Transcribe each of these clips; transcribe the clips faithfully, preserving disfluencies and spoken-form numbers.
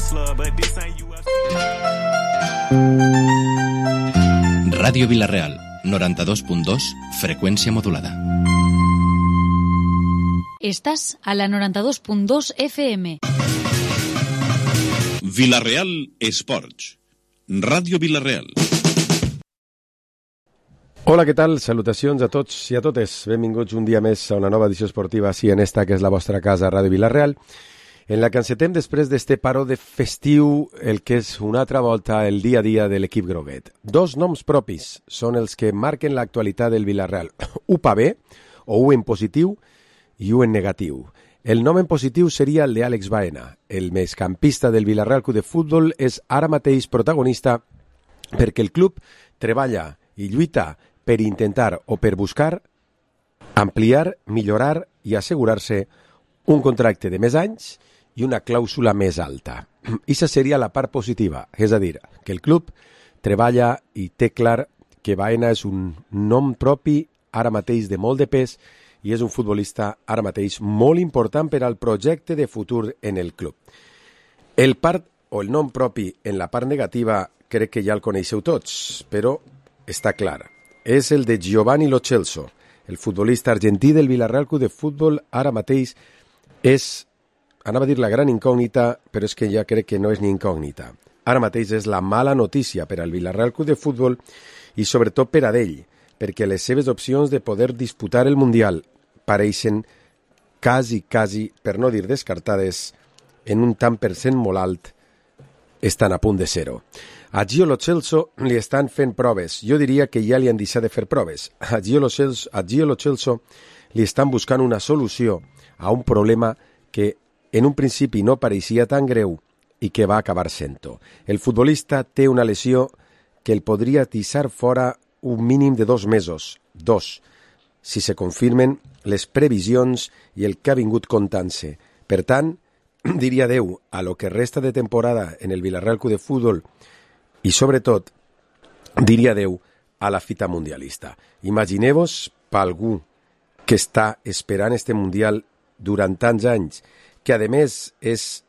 wrestler, but this ain't U F C. Ràdio Vila-real, noranta-dos punt dos, freqüència modulada. Estàs a la noranta-dos punt dos F M. Vila-real Esports. Ràdio Vila-real. Hola, què tal? Salutacions a tots i a totes. Benvinguts un dia més a una nova edició esportiva, sí, en esta que és la vostra casa, Ràdio Vila-real, en la que encetem després d'este paró de festiu el que és una altra volta el dia a dia de l'equip groguet. Dos noms propis són els que marquen l'actualitat del Vila-real. U pa B, o U en positiu, i U en negatiu. El nom en positiu seria el d'Àlex Baena. El migcampista del Vila-real Club de Futbol és ara mateix protagonista perquè el club treballa i lluita per intentar o per buscar ampliar, millorar i assegurar-se un contracte de més anys i una clàusula més alta. Ixa seria la part positiva, és a dir, que el club treballa i té clar que Baena és un nom propi ara mateix de molt de pes i és un futbolista ara mateix molt important per al projecte de futur en el club. El part o el nom propi en la part negativa crec que ja el coneixeu tots, però està clar. És el de Giovanni Lo Celso, el futbolista argentí del Vila-real Club de Futbol. Ara mateix és, anava a dir la gran incògnita, però és que ja crec que no és ni incògnita. Ara mateix és la mala notícia per al Vila-real Club de Futbol i sobretot per a ell, perquè les seves opcions de poder disputar el Mundial pareixen quasi, quasi, per no dir descartades, en un tant per cent molt alt, estan a punt de ser-ho. A Gio Lo Celso li estan fent proves. Jo diria que ja li han deixat de fer proves. A Gio Lo Celso, a Gio Lo Celso li estan buscant una solució a un problema que en un principi no pareixia tan greu i que va acabar sent-ho. El futbolista té una lesió que el podria deixar fora un mínim de dos mesos, dos, si se confirmen les previsions i el que ha vingut contant-se. Per tant, diria adeu a lo que resta de temporada en el Vila-real Club de Futbol i, sobretot, diria adeu a la fita mundialista. Imagineu-vos per algú que està esperant este Mundial durant tants anys, que a més és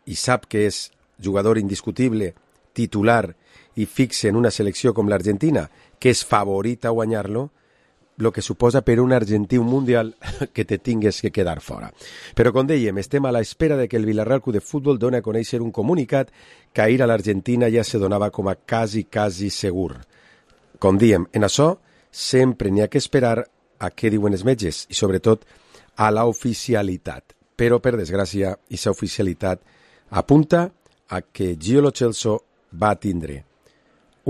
i sap que és jugador indiscutible, titular i fixe en una selecció com l'Argentina, que és favorita a guanyar-lo, el que suposa per un argentí un Mundial que te tingues que quedar fora. Però, com dèiem, estem a l'espera de que el Vila-real Club de Futbol doni a conèixer un comunicat que ahir a l'Argentina ja se donava com a quasi, quasi segur. Com dèiem, en això sempre n'hi ha que esperar a què diuen els metges i, sobretot, a la oficialitat. Però, per desgràcia, aquesta oficialitat apunta a que Gio Lo Celso va tindre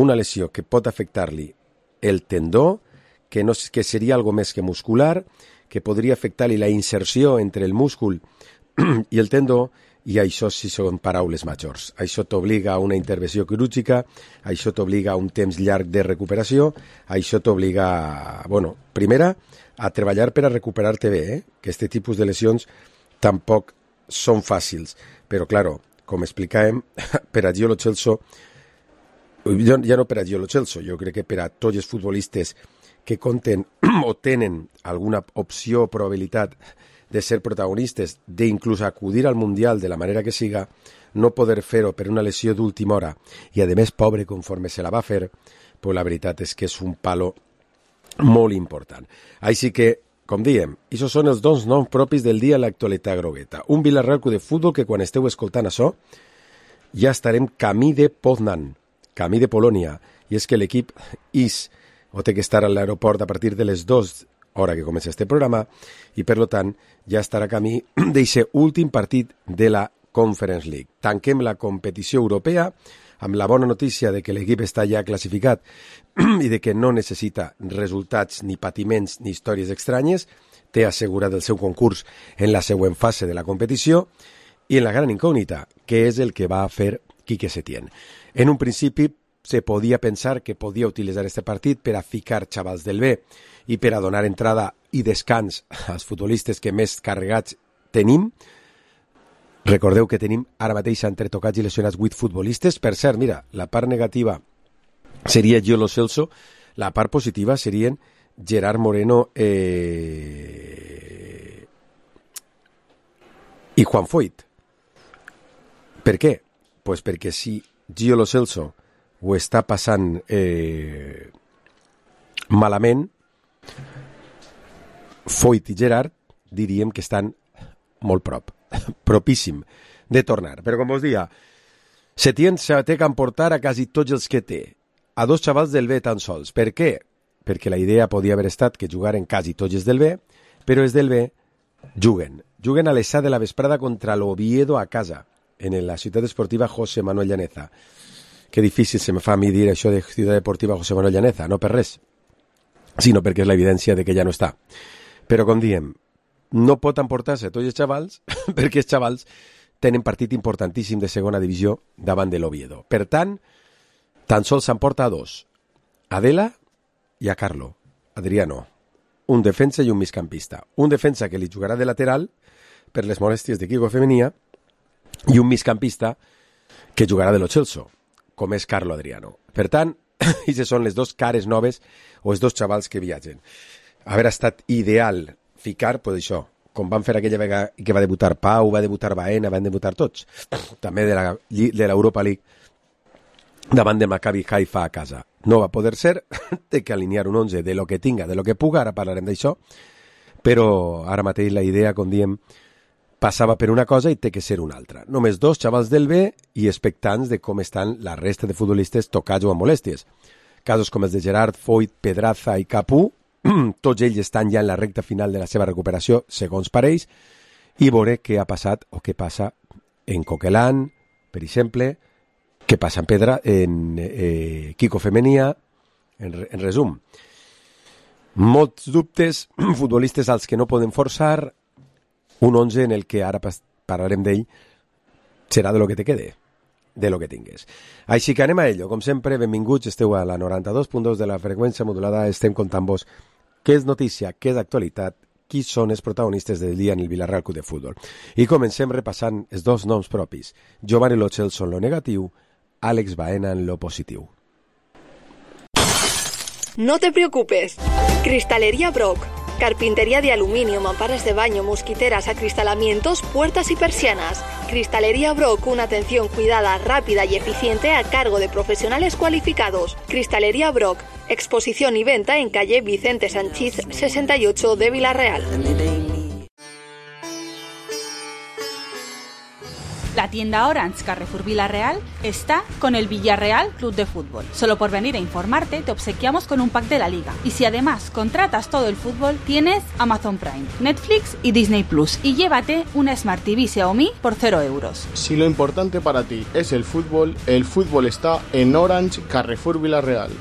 una lesió que pot afectar-li el tendó, que, no, que seria algo més que muscular, que podria afectar-li la inserció entre el múscul i el tendó, i això sí són paraules majors. Això t'obliga a una intervenció quirúrgica, això t'obliga a un temps llarg de recuperació, això t'obliga, bueno, primera, a treballar per a recuperar-te bé, eh? Que aquest tipus de lesions tampoc són fàcils. Però, claro, com explicàvem, per a Gio Lo Celso, ja no per a Gio Lo Celso, jo crec que per a tots els futbolistes que compten o tenen alguna opció o probabilitat de ser protagonistes, d'inclús acudir al Mundial de la manera que siga, no poder fer-ho per una lesió d'última hora i, a més, pobre conforme se la va fer, pues la veritat és que és un palo molt important. Així que, com diem, aquests són els dos noms propis del dia a l'actualitat grogueta. Un Vila-real Club de Futbol que, quan esteu escoltant això, ja estarem camí de Poznan, camí de Polònia, i és que l'equip is o té que estar a l'aeroport a partir de les dues hora que comença este programa i, per tant, ja estarà camí d'aquest últim partit de la Conference League. Tanquem la competició europea amb la bona notícia de que l'equip està ja classificat i de que no necessita resultats ni patiments ni històries estranyes, té assegurat el seu concurs en la següent fase de la competició, i en la gran incògnita, que és el que va fer Quique Setién. En un principi se podia pensar que podia utilitzar este partit per a ficar xavals del B i per a donar entrada i descans als futbolistes que més carregats tenim. Recordeu que tenim ara mateix entre tocats i lesionats vuit futbolistes. Per cert, mira, la part negativa seria Gio Lo Celso, la part positiva serien Gerard Moreno eh... i Juan Foyt. Per què? Pues perquè si Gio Lo Celso ho està passant eh, malament, Foyt i Gerrard diríem que estan molt prop, propíssim de tornar. Però com us dia, Setién se té que emportar a quasi tots els que té, a dos xavals del B tan sols. Per què? Perquè la idea podia haver estat que jugaren quasi tots els del B, però els del B juguen. Juguen a les set de la vesprada contra l'Oviedo a casa, en la ciutat esportiva José Manuel Llaneza. Que difícil se me fa a mi dir això de ciutat esportiva José Manuel Llaneza, no per res, sinó perquè és la evidència de que ja no està. Però com diem, no pot emportar-se tots els xavals perquè els xavals tenen partit importantíssim de segona divisió davant de l'Oviedo. Per tant, tan sols s'emporta a dos, Adela i a Carlo, Adriano, un defensa i un migcampista. Un defensa que li jugarà de lateral per les molèsties de Kiko Femenia i un migcampista que jugarà de Lo Celso, com és Carlo Adriano. Per tant, aquestes són les dues cares noves o els dos xavals que viatgen. Haver estat ideal ficar, pues això, com van fer aquella vegada que va debutar Pau, va debutar Baena, van debutar tots, també de la de l'Europa League, davant de Maccabi Haifa a casa. No va poder ser, té que alinear un onze de lo que tinga, de lo que puga, ara parlarem d'això, però ara mateix la idea, com diem, passava per una cosa i té que ser una altra. Només dos xavals del B i expectants de com estan la resta de futbolistes tocats o amb molèsties. Casos com els de Gerrard, Foyt, Pedraza i Capú, tots ells estan ja en la recta final de la seva recuperació, segons pareix, i veuré què ha passat o què passa en Coquelin, per exemple, què passa en Pedra, en eh, Kiko Femenia, en, en resum. Molts dubtes, futbolistes als que no poden forçar, un onze en el que ara parlarem d'ell, serà de lo que te quede, de lo que tingues. Així que anem a ello. Com sempre, benvinguts, esteu a la noranta-dos punt dos de la freqüència modulada, estem contant-vos què és notícia, què és actualitat, qui són els protagonistes del dia en el Villarreal Club de Futbol. I comencem repassant els dos noms propis. Giovanni Lo Celso en lo negatiu, Àlex Baena en lo positiu. No te preocupes. Cristalería Brock. Carpintería de aluminio, mamparas de baño, mosquiteras, acristalamientos, puertas y persianas. Cristalería Brock, una atención cuidada, rápida y eficiente a cargo de profesionales cualificados. Cristalería Brock, exposición y venta en calle Vicente Sanchís sesenta y ocho de Villarreal. La tienda Orange Carrefour Villarreal está con el Villarreal Club de Fútbol. Solo por venir a informarte te obsequiamos con un pack de la liga. Y si además contratas todo el fútbol, tienes Amazon Prime, Netflix y Disney Plus. Y llévate una Smart T V Xiaomi por cero euros. Si lo importante para ti es el fútbol, el fútbol está en Orange Carrefour Villarreal.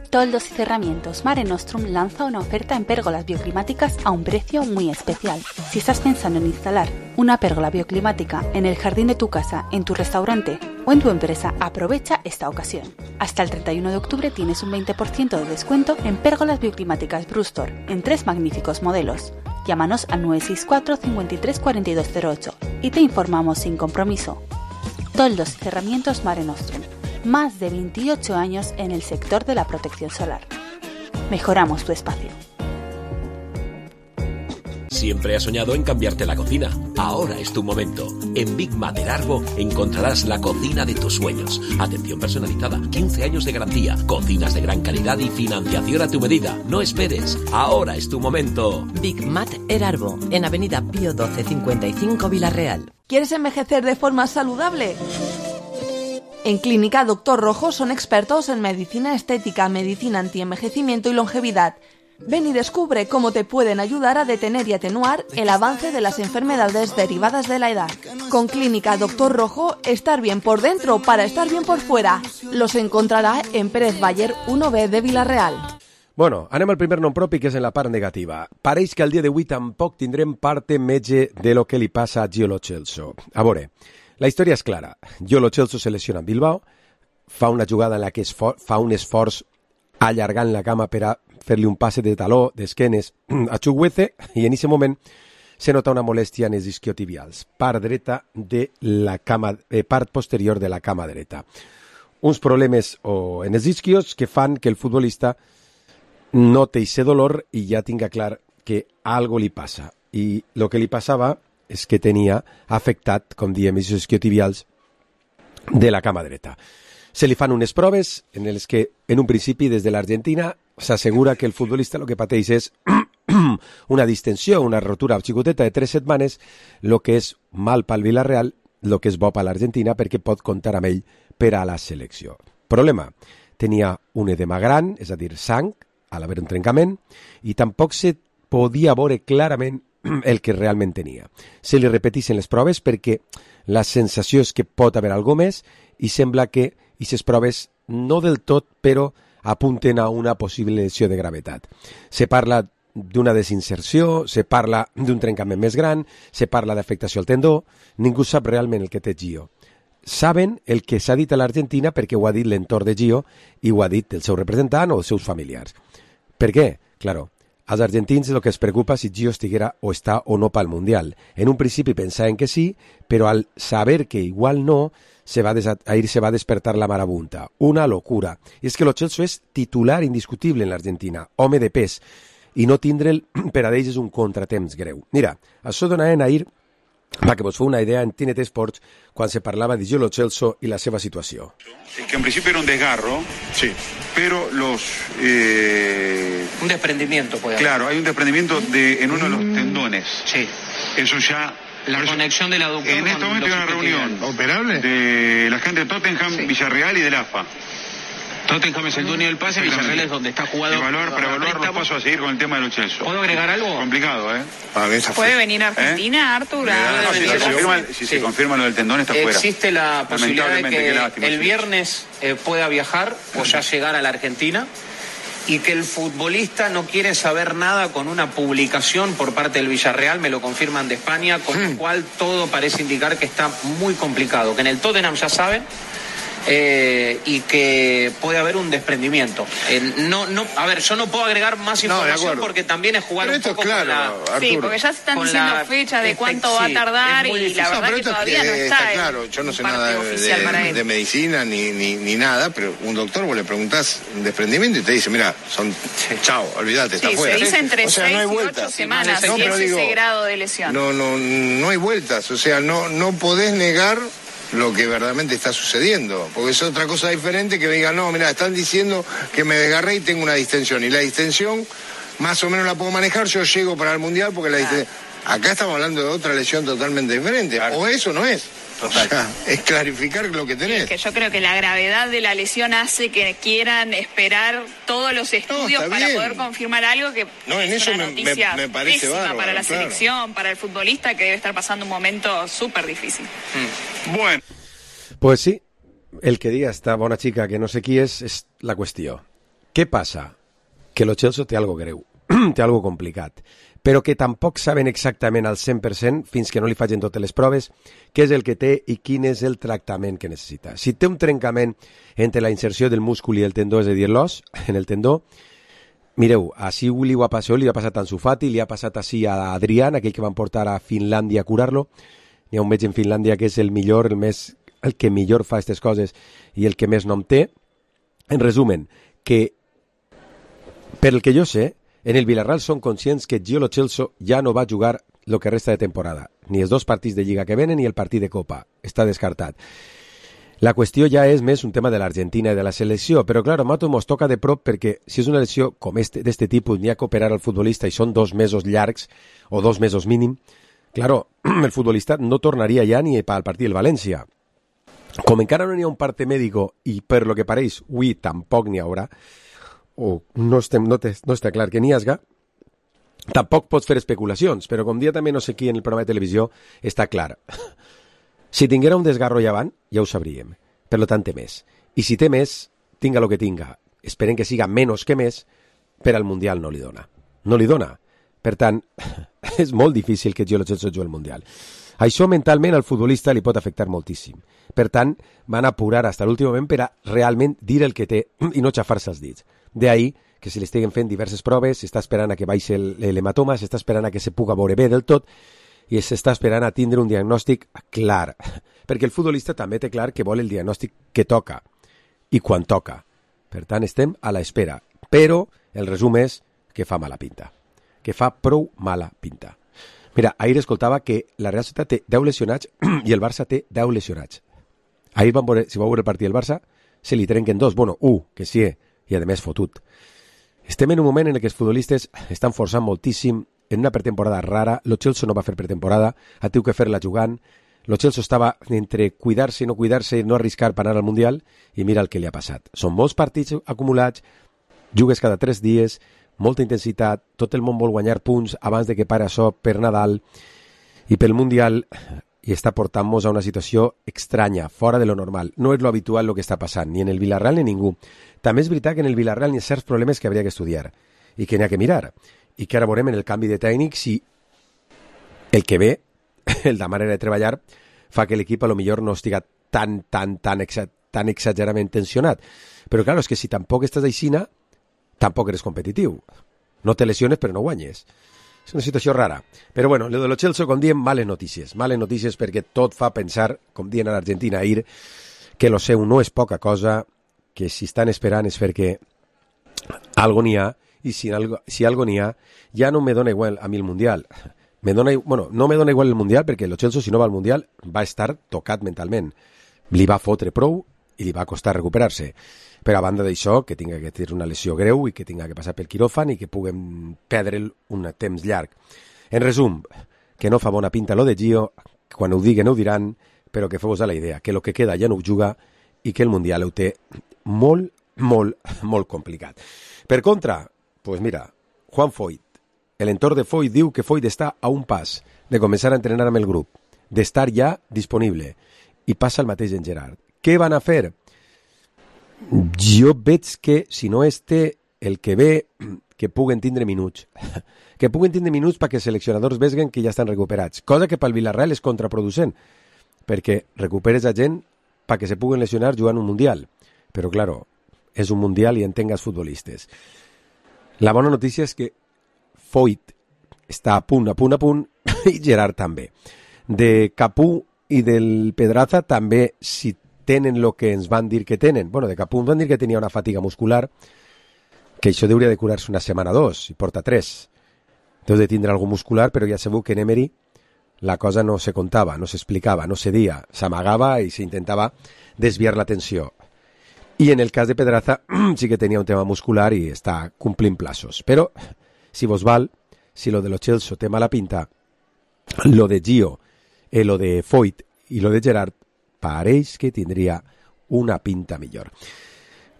Toldos y Cerramientos Mare Nostrum lanza una oferta en pérgolas bioclimáticas a un precio muy especial. Si estás pensando en instalar una pérgola bioclimática en el jardín de tu casa, en tu restaurante o en tu empresa, aprovecha esta ocasión. Hasta el treinta y uno de octubre tienes un veinte por ciento de descuento en pérgolas bioclimáticas Brustor, en tres magníficos modelos. Llámanos al nueve seis cuatro, cinco tres, cuatro dos cero ocho y te informamos sin compromiso. Toldos y Cerramientos Mare Nostrum. Más de veintiocho años en el sector de la protección solar. Mejoramos tu espacio. Siempre has soñado en cambiarte la cocina. Ahora es tu momento. En Big Mater Arbo encontrarás la cocina de tus sueños. Atención personalizada, quince años de garantía, cocinas de gran calidad y financiación a tu medida. No esperes. Ahora es tu momento. Big Mater Arbo, en Avenida Pío doce cincuenta y cinco Villarreal. ¿Quieres envejecer de forma saludable? En Clínica Doctor Rojo son expertos en medicina estética, medicina antienvejecimiento y longevidad. Ven y descubre cómo te pueden ayudar a detener y atenuar el avance de las enfermedades derivadas de la edad. Con Clínica Doctor Rojo, estar bien por dentro para estar bien por fuera. Los encontrará en Pérez Bayer uno B de Villarreal. Bueno, anem al primer nom propi, que és en la part negativa. Pareix que al dia d'avui tampoc tindrem parte metge de lo que li passa a Gio Lo Celso. A veure, la història és clara. Gio Lo Celso se lesiona en Bilbao, fa una jugada en la que es fa un esforç allargant la cama per a fer-li un passe de taló, d'esquenes a Chukwueze, i en aquest moment se nota una molèstia en els isquiotibials, part dreta de la cama, eh, part posterior de la cama dreta. Uns problemes o, en els isquios que fan que el futbolista no té aquest dolor i ja tinga clar que algo li passa. I el que li passava és que tenia afectat, com diem, els isquiotibials de la cama dreta. Se li fan unes proves en les que, en un principi, des de l'Argentina, s'assegura que el futbolista el que pateix és una distensió, una rotura xicoteta de tres setmanes, el que és mal pel Villarreal, el que és bo per l'Argentina, perquè pot comptar amb ell per a la selecció. Problema, tenia un edema gran, és a dir, sang, a l'haver un trencament, i tampoc se podia veure clarament el que realment tenia. Se li repetissin les proves perquè la sensació és que pot haver alguna més i sembla que aquestes proves no del tot, però apunten a una possible lesió de gravetat. Se parla d'una desinserció, se parla d'un trencament més gran, se parla d'afectació al tendó, ningú sap realment el que té Gio. Saben el que s'ha dit a l'Argentina perquè ho ha dit l'entorn de Gio i ho ha dit el seu representant o els seus familiars. Per què? Claro, als argentins el que es preocupa si Gio estiguera o està o no pel Mundial. En un principi pensaven que sí, però al saber que igual no, se va ahir se va despertar la marabunta. Una locura. I és que Lo Celso és titular indiscutible en l'Argentina, home de pes, i no tindre'l per a d'ells és un contratemps greu. Mira, això donaven ahir, para que vos fue una idea en T N T Sports, cuando se parlava de Gio Lo Celso y la seva situación. Es que en principio era un desgarro, sí, pero los... Eh... Un desprendimiento puede haber. Claro, hay un desprendimiento de, en uno de los tendones. Sí. Eso ya... La eso, conexión del aductor. En este momento hay una reunión operable de la gente de Tottenham, sí, Villarreal y del A F A. Tottenham es el dueño del pase, Villarreal es donde está jugado. Evaluar, para evaluar los pasos a seguir con el tema de Lo Celso. ¿Puedo agregar algo? Complicado, ¿eh? ¿Puede venir a Argentina, ¿Eh? Artur? No, si se confirma, si sí. se confirma lo del tendón, está fuera. Existe la posibilidad de que lástima, el viernes eh, pueda viajar o ya llegar a la Argentina y que el futbolista no quiere saber nada con una publicación por parte del Villarreal, me lo confirman de España, con hmm. lo cual todo parece indicar que está muy complicado, que en el Tottenham ya saben, Eh, y que puede haber un desprendimiento. Eh, no, no, a ver, yo no puedo agregar más información no, porque también es jugar pero un poco claro, con la... Arturo. Sí, porque ya se están diciendo la, fechas de cuánto sí, va a tardar y la verdad no, que todavía es que, no está, está claro, yo no sé nada de, de medicina ni, ni, ni nada, pero un doctor vos le preguntás un desprendimiento y te dice, mira, son sí. chao, olvídate, sí, está fuera. Se dice entre o sea, seis no hay y vueltas. ocho semanas, no, y es digo, ese grado de lesión. No, no, no hay vueltas, o sea, no, no podés negar lo que verdaderamente está sucediendo, porque es otra cosa diferente que me digan, no, mira, están diciendo que me desgarré y tengo una distensión, y la distensión más o menos la puedo manejar, yo llego para el Mundial porque la distensión... Acá estamos hablando de otra lesión totalmente diferente, claro. O eso no es. Total. O sea, es clarificar lo que tenés. Sí, que yo creo que la gravedad de la lesión hace que quieran esperar todos los estudios no, para bien. poder confirmar algo que no, en es eso una me, noticia me, me parece bárbaro, para la claro. selección, para el futbolista que debe estar pasando un momento súper difícil. Mm. Bueno. Pues sí, el que diga esta bona xica que no sé qui és, és la qüestió. Què passa? Que Lo Celso té algo greu, té algo complicat, però que tampoc saben exactament al cent per cent, fins que no li facin totes les proves, què és el que té i quin és el tractament que necessita. Si té un trencament entre la inserció del múscul i el tendó, és a dir, l'os, en el tendó, mireu, així li ho ha passat, li ha passat a Ansu Fati, li ha passat així a Adrián, aquell que van portar a Finlàndia a curar-lo. N'hi ha un metge en Finlàndia que és el millor, el més, el que millor fa aquestes coses i el que més nom té. En resumen, que per el que jo sé, en el Villarreal són conscients que Gio Lo Celso ja no va jugar el que resta de temporada, ni els dos partits de Lliga que venen ni el partit de Copa, està descartat. La qüestió ja és més un tema de l'Argentina i de la selecció, però clar, a nosaltres ens toca de prop perquè si és una lesió com este, d'este tipus, n'hi ha que operar al futbolista i són dos mesos llargs o dos mesos mínim, claro, el futbolista no tornaria ja ni al partit del València. Com encara no n'hi ha un parte mèdico i per lo que pareix, avui tampoc n'hi haurà, o no, estem, no, te, no està clar que n'hi hagi, tampoc pots fer especulacions, però com dia també no sé qui en el programa de televisió està clar. Si tinguera un desgarro ja avant, ja ho sabríem, per lo tant té més. I si té més, tinga lo que tinga, esperen que siga menys que més, per al Mundial no li dona. No li dona. Per tant, és molt difícil que Gio Lo Celso jugui al Mundial. Això mentalment al futbolista li pot afectar moltíssim. Per tant, van apurar fins a l'últim moment per a realment dir el que té i no xafar-se els dits. D'ahí que si li estiguen fent diverses proves, s'està esperant a que baixi l'hematoma, s'està esperant a que se puga veure bé del tot i s'està esperant a tindre un diagnòstic clar. Perquè el futbolista també té clar que vol el diagnòstic que toca i quan toca. Per tant, estem a l'espera. Però el resum és que fa mala pinta. Que fa prou mala pinta. Mira, ahir escoltava que la Real Societat té deu lesionats i el Barça té deu lesionats. Ahir van veure, si vau veure el partit del Barça, se li trenquen dos, bueno, un, que sí, i a més fotut. Estem en un moment en què els futbolistes estan forçant moltíssim en una pretemporada rara. Lo Celso no va fer pretemporada, ha tingut que fer-la jugant. Lo Celso estava entre cuidar-se i no cuidar-se i no arriscar per anar al Mundial, i mira el que li ha passat. Són molts partits acumulats, jugues cada tres dies, molta intensitat, tot el món vol guanyar punts abans de que pare això per Nadal i pel Mundial, i està portant-nos a una situació estranya, fora de lo normal. No és lo habitual el que està passant, ni en el Villarreal ni ningú. També és veritat que en el Villarreal hi ha certs problemes que hauria que estudiar i que n'hi ha que mirar, i que ara veurem en el canvi de tècnic si el que ve, la manera de treballar, fa que l'equip a lo millor no estiga tan, tan, tan, exa tan exageradament tensionat. Però clar, és que si tampoc estàs aixina, tampoc eres competitiu. No te lesiones, però no guanyes. És una situació rara. Però bueno, lo de lo Celso, com diem, males notícies. Males notícies perquè tot fa pensar, com dient a l'Argentina ahir, que lo seu no és poca cosa, que si estan esperant és perquè algo n'hi ha, i si algo, si algo n'hi ha, ja no me dona igual a mi el Mundial. Me dona, bueno, no me dona igual el Mundial perquè lo Celso, si no va al Mundial, va estar tocat mentalment. Li va fotre prou i li va costar recuperar-se. Però a banda d'això, que tinga que tenir una lesió greu i que tinga que passar pel quiròfan i que puguem perdre'l un temps llarg. En resum, que no fa bona pinta lo de Gio, quan ho diguen ho diran, però que feu-vos a la idea, que lo que queda ja no ho juga i que el Mundial ho té molt, molt, molt complicat. Per contra, pues mira, Juan Foyt, l'entorn de Foyt diu que Foyt està a un pas de començar a entrenar amb el grup, d'estar ja disponible, i passa el mateix en Gerard. Què van a fer? Jo veig que, si no este, el que ve, que puguen tindre minuts. Que puguen tindre minuts perquè els seleccionadors veguen que ja estan recuperats. Cosa que pel Villarreal és contraproducent, perquè recuperes a gent perquè se puguen lesionar jugant un Mundial. Però, claro, és un Mundial i entengues futbolistes. La bona notícia és que Foyt està a punt, a punt, a punt, i Gerard també. De Capú i del Pedraza també, si tenen el que ens van dir que tenen. Bueno, de Capú ens van dir que tenia una fatiga muscular, que això hauria de curar-se una setmana o dos, i porta tres. Deu de tindre algú muscular, però ja sabeu que en Emery la cosa no se contava, no s'explicava, no se dia, s'amagava i s'intentava desviar l'atenció. I en el cas de Pedraza sí que tenia un tema muscular i està complint plaços. Però, si vos val, si lo de lo Celso té mala pinta, lo de Gio, eh, lo de Foyt i lo de Gerard pareix que tindria una pinta millor.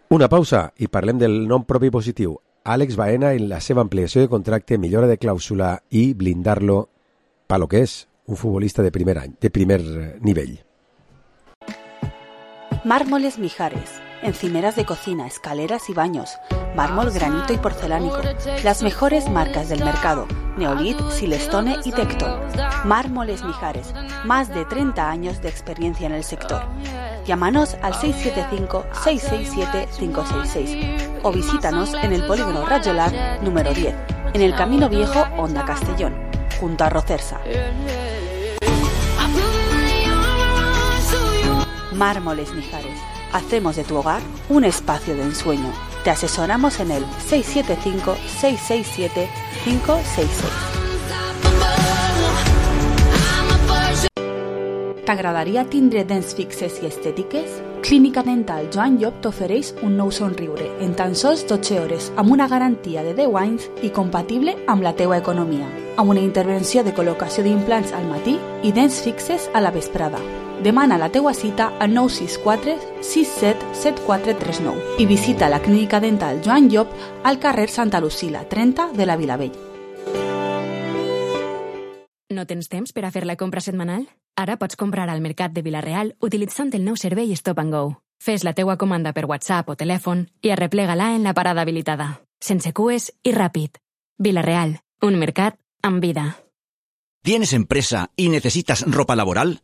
Una pausa i parlem del nom propi positiu. Àlex Baena en la seva ampliació de contracte, millora de clàusula i blindar-lo per lo que és un futbolista de primer any, de primer nivell. Mármoles Mijares, encimeras de cocina, escaleras y baños, mármol, granito y porcelánico, las mejores marcas del mercado, Neolit, Silestone y Tecton. Mármoles Mijares, más de treinta años de experiencia en el sector. Llámanos al seis siete cinco, seis seis siete, cinco seis seis o visítanos en el polígono Rajolar número diez, en el Camino Viejo, Honda Castellón, junto a Rocersa. Mármoles Mijares. Hacemos de tu hogar un espacio de ensueño. Te asesoramos en el seis siete cinco, seis seis siete, cinco seis seis. T'agradaria tindre dents fixes i estètiques? Clínica Dental Joan Llop t'ofereix un nou somriure en tan sols dotze hores amb una garantia de deu anys i compatible amb la teua economia, amb una intervenció de col·locació d'implants al matí i dents fixes a la vesprada. Demana la teua cita al nou sis quatre, sis set, set quatre tres nou i visita la Clínica Dental Joan Llop al carrer Santa Lucila, trenta de la Vilavell. No tens temps per a fer la compra setmanal? Ara pots comprar al Mercat de Vila-real utilitzant el nou servei Stop and Go. Fes la teua comanda per WhatsApp o telèfon i arreplega-la en la parada habilitada. Sense cues i ràpid. Vila-real, un mercat amb vida. ¿Tienes empresa y necesitas ropa laboral?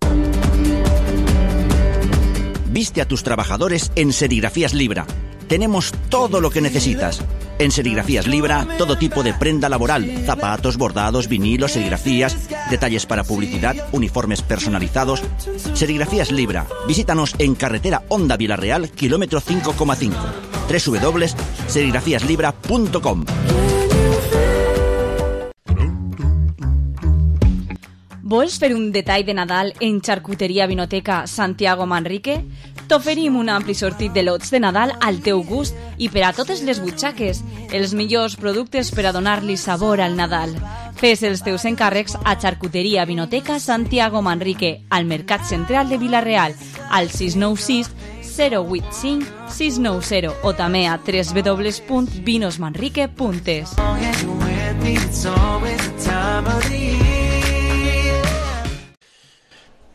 Viste a tus trabajadores en Serigrafías Libra. Tenemos todo lo que necesitas. En Serigrafías Libra, todo tipo de prenda laboral, zapatos, bordados, vinilos, serigrafías, detalles para publicidad, uniformes personalizados. Serigrafías Libra. Visítanos en carretera Honda Vila-real, kilómetro cinco coma cinco. doble u doble u doble u punto serigrafías libra punto com. Vols fer un detall de Nadal en Xarcuteria Vinoteca Santiago Manrique? T'oferim un ampli sortit de lots de Nadal al teu gust i per a totes les butxaques, els millors productes per a donar-li sabor al Nadal. Fes els teus encàrrecs a Xarcuteria Vinoteca Santiago Manrique, al Mercat Central de Vila-real, al sis nou sis zero vuit cinc sis nou zero o també a w w w punt vinos manrique punt es.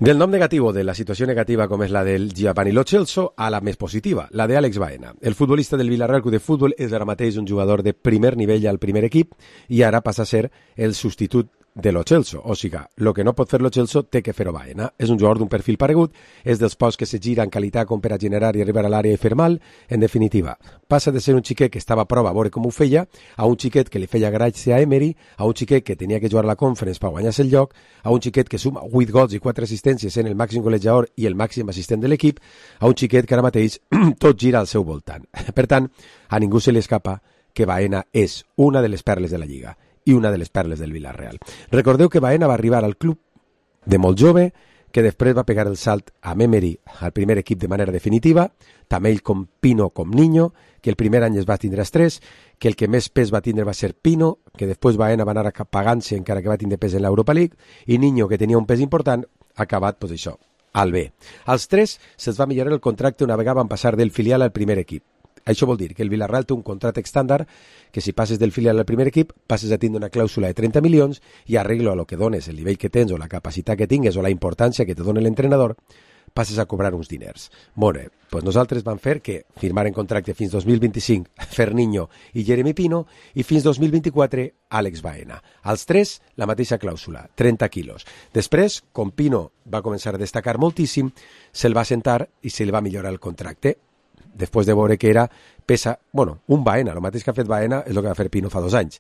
Del nom negatiu de la situació negativa com és la del Giovanni Lo Celso a la més positiva, la de Àlex Baena. El futbolista del Villarreal Club de Futbol és ara mateix un jugador de primer nivell al primer equip i ara passa a ser el substitut de Lo Celso. O sigui, el que no pot fer Lo Celso té que fer-ho Baena. És un jugador d'un perfil paregut, és dels pocs que se gira en qualitat com per a generar i arribar a l'àrea i fer mal. En definitiva, passa de ser un xiquet que estava a prova a veure com ho feia, a un xiquet que li feia gràcia a Emery, a un xiquet que tenia que jugar a la Conference per guanyar-se el lloc, a un xiquet que suma vuit gols i quatre assistències en el màxim golejador i el màxim assistent de l'equip, a un xiquet que ara mateix tot gira al seu voltant. Per tant, a ningú se li escapa que Baena és una de les perles de la Lliga i una de les perles del Villarreal. Recordeu que Baena va arribar al club de molt jove, que després va pegar el salt a Emery al primer equip de manera definitiva, també ell com Pino com Niño, que el primer any es va tindre estrès, que el que més pes va tindre va ser Pino, que després Baena va anar pagant-se encara que va tindre pes en l'Europa League, i Niño, que tenia un pes important, ha acabat, doncs això, al B. Als tres se'ls va millorar el contracte una vegada van passar del filial al primer equip. Això vol dir que el Villarreal té un contracte estàndard que si passes del filial al primer equip passes a tindre una clàusula de trenta milions i arreglo a lo que dones, el nivell que tens o la capacitat que tingues o la importància que te dona l'entrenador, passes a cobrar uns diners. Molt bé, doncs nosaltres vam fer que firmaren contracte fins dos mil vint-i-cinc Ferniño i Jeremy Pino i fins dos mil vint-i-quatre Àlex Baena. Als tres, la mateixa clàusula, trenta quilos. Després, com Pino va començar a destacar moltíssim, se'l va sentar i se li va millorar el contracte. Després de veure que era pesa, bueno, un Baena, el mateix que ha fet Baena és el que va fer Pino fa dos anys.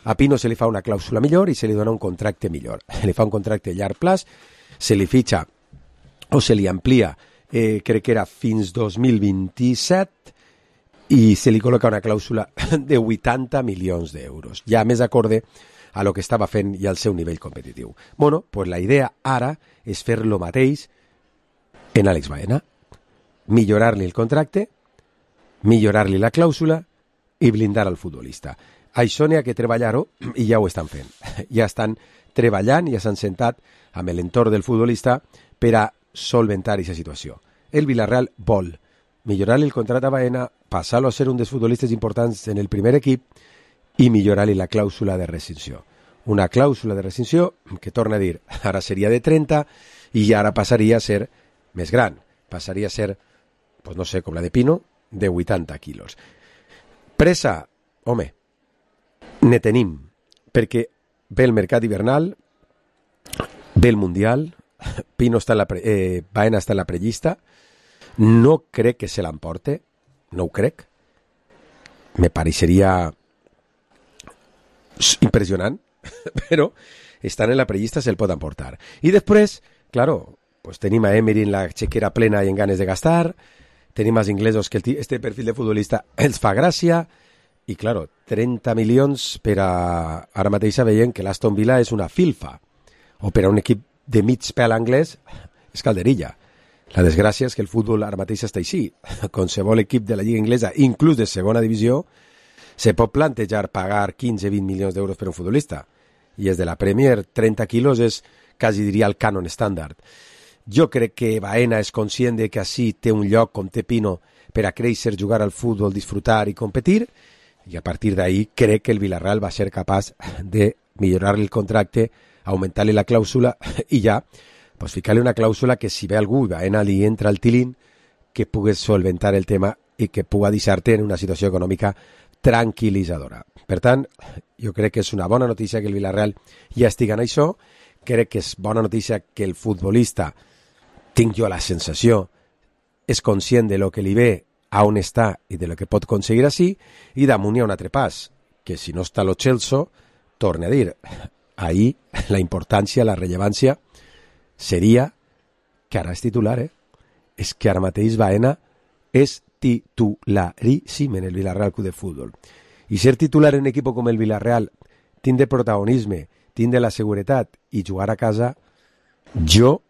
A Pino se li fa una clàusula millor i se li dona un contracte millor. Li fa un contracte a llarg plaç, se li fitxa o se li amplia, eh, crec que era fins dos mil vint-i-set, i se li col·loca una clàusula de vuitanta milions d'euros, ja més acorde a lo que estava fent i al seu nivell competitiu. Bueno, pues la idea ara és fer lo mateix en Àlex Baena, millorar-li el contracte, millorar-li la clàusula i blindar al futbolista. Això n'hi ha que treballar-ho i ja ho estan fent. Ja estan treballant, ja s'han sentat amb l'entorn del futbolista per a solventar aquesta situació. El Villarreal vol millorar-li el contracte a Baena, passar-lo a ser un dels futbolistes importants en el primer equip i millorar-li la clàusula de rescissió. Una clàusula de rescissió que, torna a dir, ara seria de trenta i ara passaria a ser més gran. Passaria a ser, pues no sé, com la de Pino, de vuitanta quilos. Pressa, home, ne tenim, perquè ve el mercat hivernal, ve el Mundial, Pino està en la pre, eh, Baena està en la prellista, no crec que se l'emporte, no ho crec, me pareixeria impressionant, però estan en la prellista, se'l pot emportar. I després, claro, pues tenim a Emery en la chequera plena i en ganes de gastar, tenim als inglesos que el este perfil de futbolista els fa gràcia, i claro, trenta milions per a... Ara mateix veiem que l'Aston Villa és una filfa, o per a un equip de mig pèl anglès és calderilla. La desgràcia és que el futbol ara mateix està així. Qualsevol equip de la Lliga Inglesa, inclús de segona divisió, se pot plantejar pagar quinze a vint milions d'euros per un futbolista. I és de la Premier, trenta quilos és, quasi diria, el cànon estàndard. Jo crec que Baena és conscient de que així té un lloc com té Pino per a créixer, jugar al futbol, disfrutar i competir, i a partir d'ahí crec que el Villarreal va ser capaç de millorar-li el contracte, augmentar-li la clàusula i ja pues, ficar-li una clàusula que si ve algú i Baena li entra al tilín, que pugues solventar el tema i que puga deixar-te en una situació econòmica tranquil·litzadora. Per tant, jo crec que és una bona notícia que el Villarreal ja estigui en això, crec que és bona notícia que el futbolista, tinc jo la sensació, és conscient de lo que li ve, a on està i de lo que pot aconseguir així, i damunt hi ha un altre pas, que si no està Lo Celso, torne a dir, ahir la importància, la rellevància, seria que ara és titular, eh? És que ara mateix Baena és titularíssim en el Villarreal Club de Futbol. I ser titular en un equip com el Villarreal, tindre protagonisme, tindre la seguretat i jugar a casa, jo,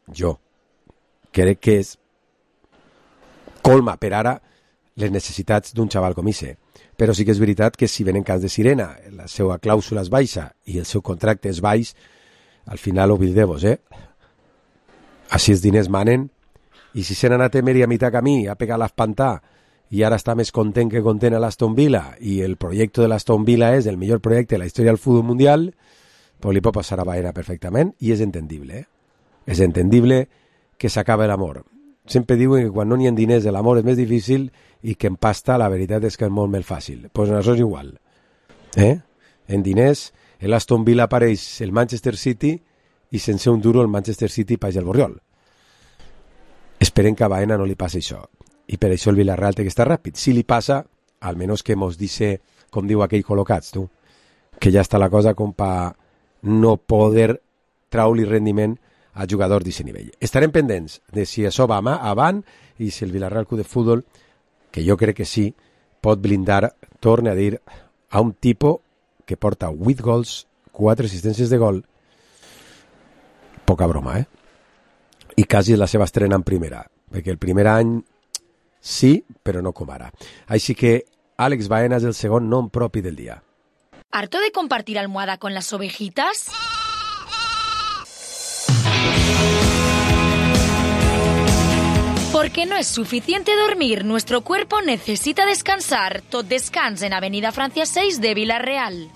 jo, crec que és colma per ara les necessitats d'un xaval com Ise. Però sí que és veritat que si venen cants de sirena, la seva clàusula és baixa i el seu contracte és baix, al final oblideu-vos, eh? Així els diners manen, i si se n'ha anat Emery a mitjà camí, a pegar l'espantà, i ara està més content que content a l'Aston Villa, i el projecte de l'Aston Villa és el millor projecte de la història del futbol mundial, pues li pot passar a Baena perfectament, i és entendible, eh? És entendible que s'acaba l'amor. Sempre diuen que quan no n'hi ha diners l'amor és més difícil i que en pasta la veritat és que és molt més fàcil. Doncs pues això és igual. Eh? En diners, l'Aston Villa apareix el Manchester City i sense un duro el Manchester City paix el Borriol. Esperem que a Baena no li passi això. I per això el Villarreal té que estar ràpid. Si li passa, almenys que mos dice, com diu aquell col·locats, tu, que ja està la cosa com per no poder traure-li rendiment a jugadors d'aquest nivell. Estarem pendents de si això va avant i si el Villarreal Club de Futbol, que jo crec que sí, pot blindar, torne a dir, a un tipus que porta vuit gols, quatre assistències de gol, poca broma, eh? I quasi la seva estrena en primera, perquè el primer any sí, però no com ara. Així que Àlex Baena és el segon nom propi del dia. ¿Harto de compartir almohada con las ovejitas? Porque no es suficiente dormir, nuestro cuerpo necesita descansar. Tot descans en Avenida Francia seis de Villarreal.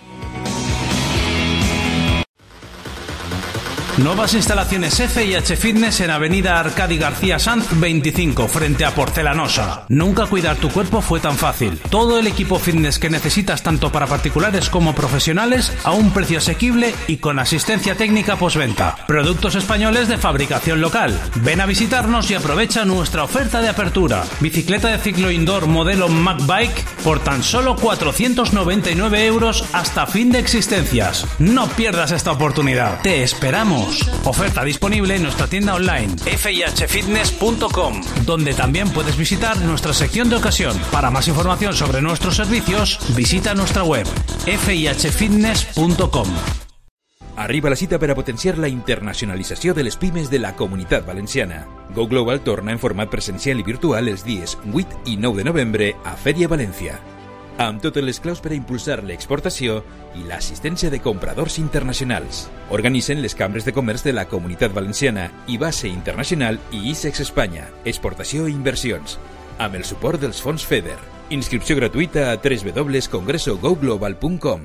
Nuevas instalaciones F y H Fitness en Avenida Arcadi García Sanz veinticinco, frente a Porcelanosa. Nunca cuidar tu cuerpo fue tan fácil. Todo el equipo fitness que necesitas tanto para particulares como profesionales a un precio asequible y con asistencia técnica postventa. Productos españoles de fabricación local. Ven a visitarnos y aprovecha nuestra oferta de apertura. Bicicleta de ciclo indoor modelo MacBike por tan solo cuatrocientos noventa y nueve euros hasta fin de existencias. No pierdas esta oportunidad. Te esperamos. Oferta disponible en nuestra tienda online f i h fitness punto com, donde también puedes visitar nuestra sección de ocasión. Para más información sobre nuestros servicios, visita nuestra web f i h fitness punto com. Arriba la cita per a potenciar la internacionalització de les pimes de la Comunitat Valenciana. Go Global torna en format presencial i virtual els dies vuit i nou de novembre a Fèria València, amb totes les claus per a impulsar l'exportació i l'assistència de compradors internacionals. Organitzen les cambres de comerç de la Comunitat Valenciana i Base Internacional i ISEX Espanya, exportació i inversions, amb el suport dels fons FEDER. Inscripció gratuïta a w w w punt congreso go global punt com.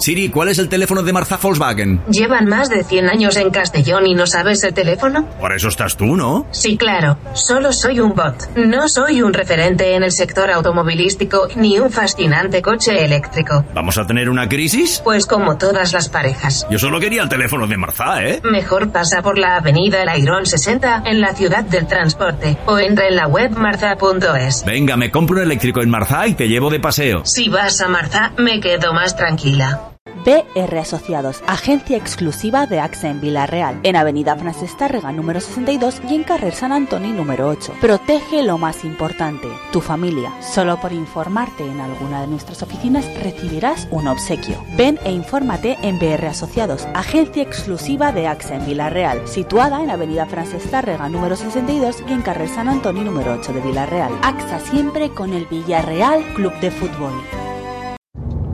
Siri, ¿cuál es el teléfono de Marza Volkswagen? ¿Llevan más de cien años en Castellón y no sabes el teléfono? Por eso estás tú, ¿no? Sí, claro. Solo soy un bot. No soy un referente en el sector automovilístico ni un fascinante coche eléctrico. ¿Vamos a tener una crisis? Pues como todas las parejas. Yo solo quería el teléfono de Marza, ¿eh? Mejor pasa por la avenida El Airón sesenta en la ciudad del transporte o entra en la web marza punto es. Venga, me compro un eléctrico en Marza y te llevo de paseo. Si vas a Marza, me quedo más tranquila. B R Asociados, agencia exclusiva de A X A en Villarreal, en Avenida Francesc Tàrrega número sesenta y dos y en Carrer Sant Antoni número ocho. Protege lo más importante, tu familia. Solo por informarte en alguna de nuestras oficinas recibirás un obsequio. Ven e infórmate en B R Asociados, agencia exclusiva de A X A en Villarreal, situada en Avenida Francesc Tàrrega número sesenta y dos y en Carrer Sant Antoni número ocho de Villarreal. A X A siempre con el Villarreal Club de Fútbol.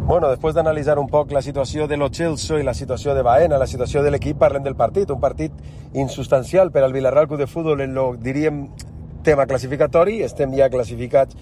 Bueno, després d'analitzar un poc la situació de lo Chelsea i la situació de Baena, la situació de l'equip, parlem del partit. Un partit insubstancial per al Villarreal Club de Futbol en lo, diríem, tema classificatori. Estem ja classificats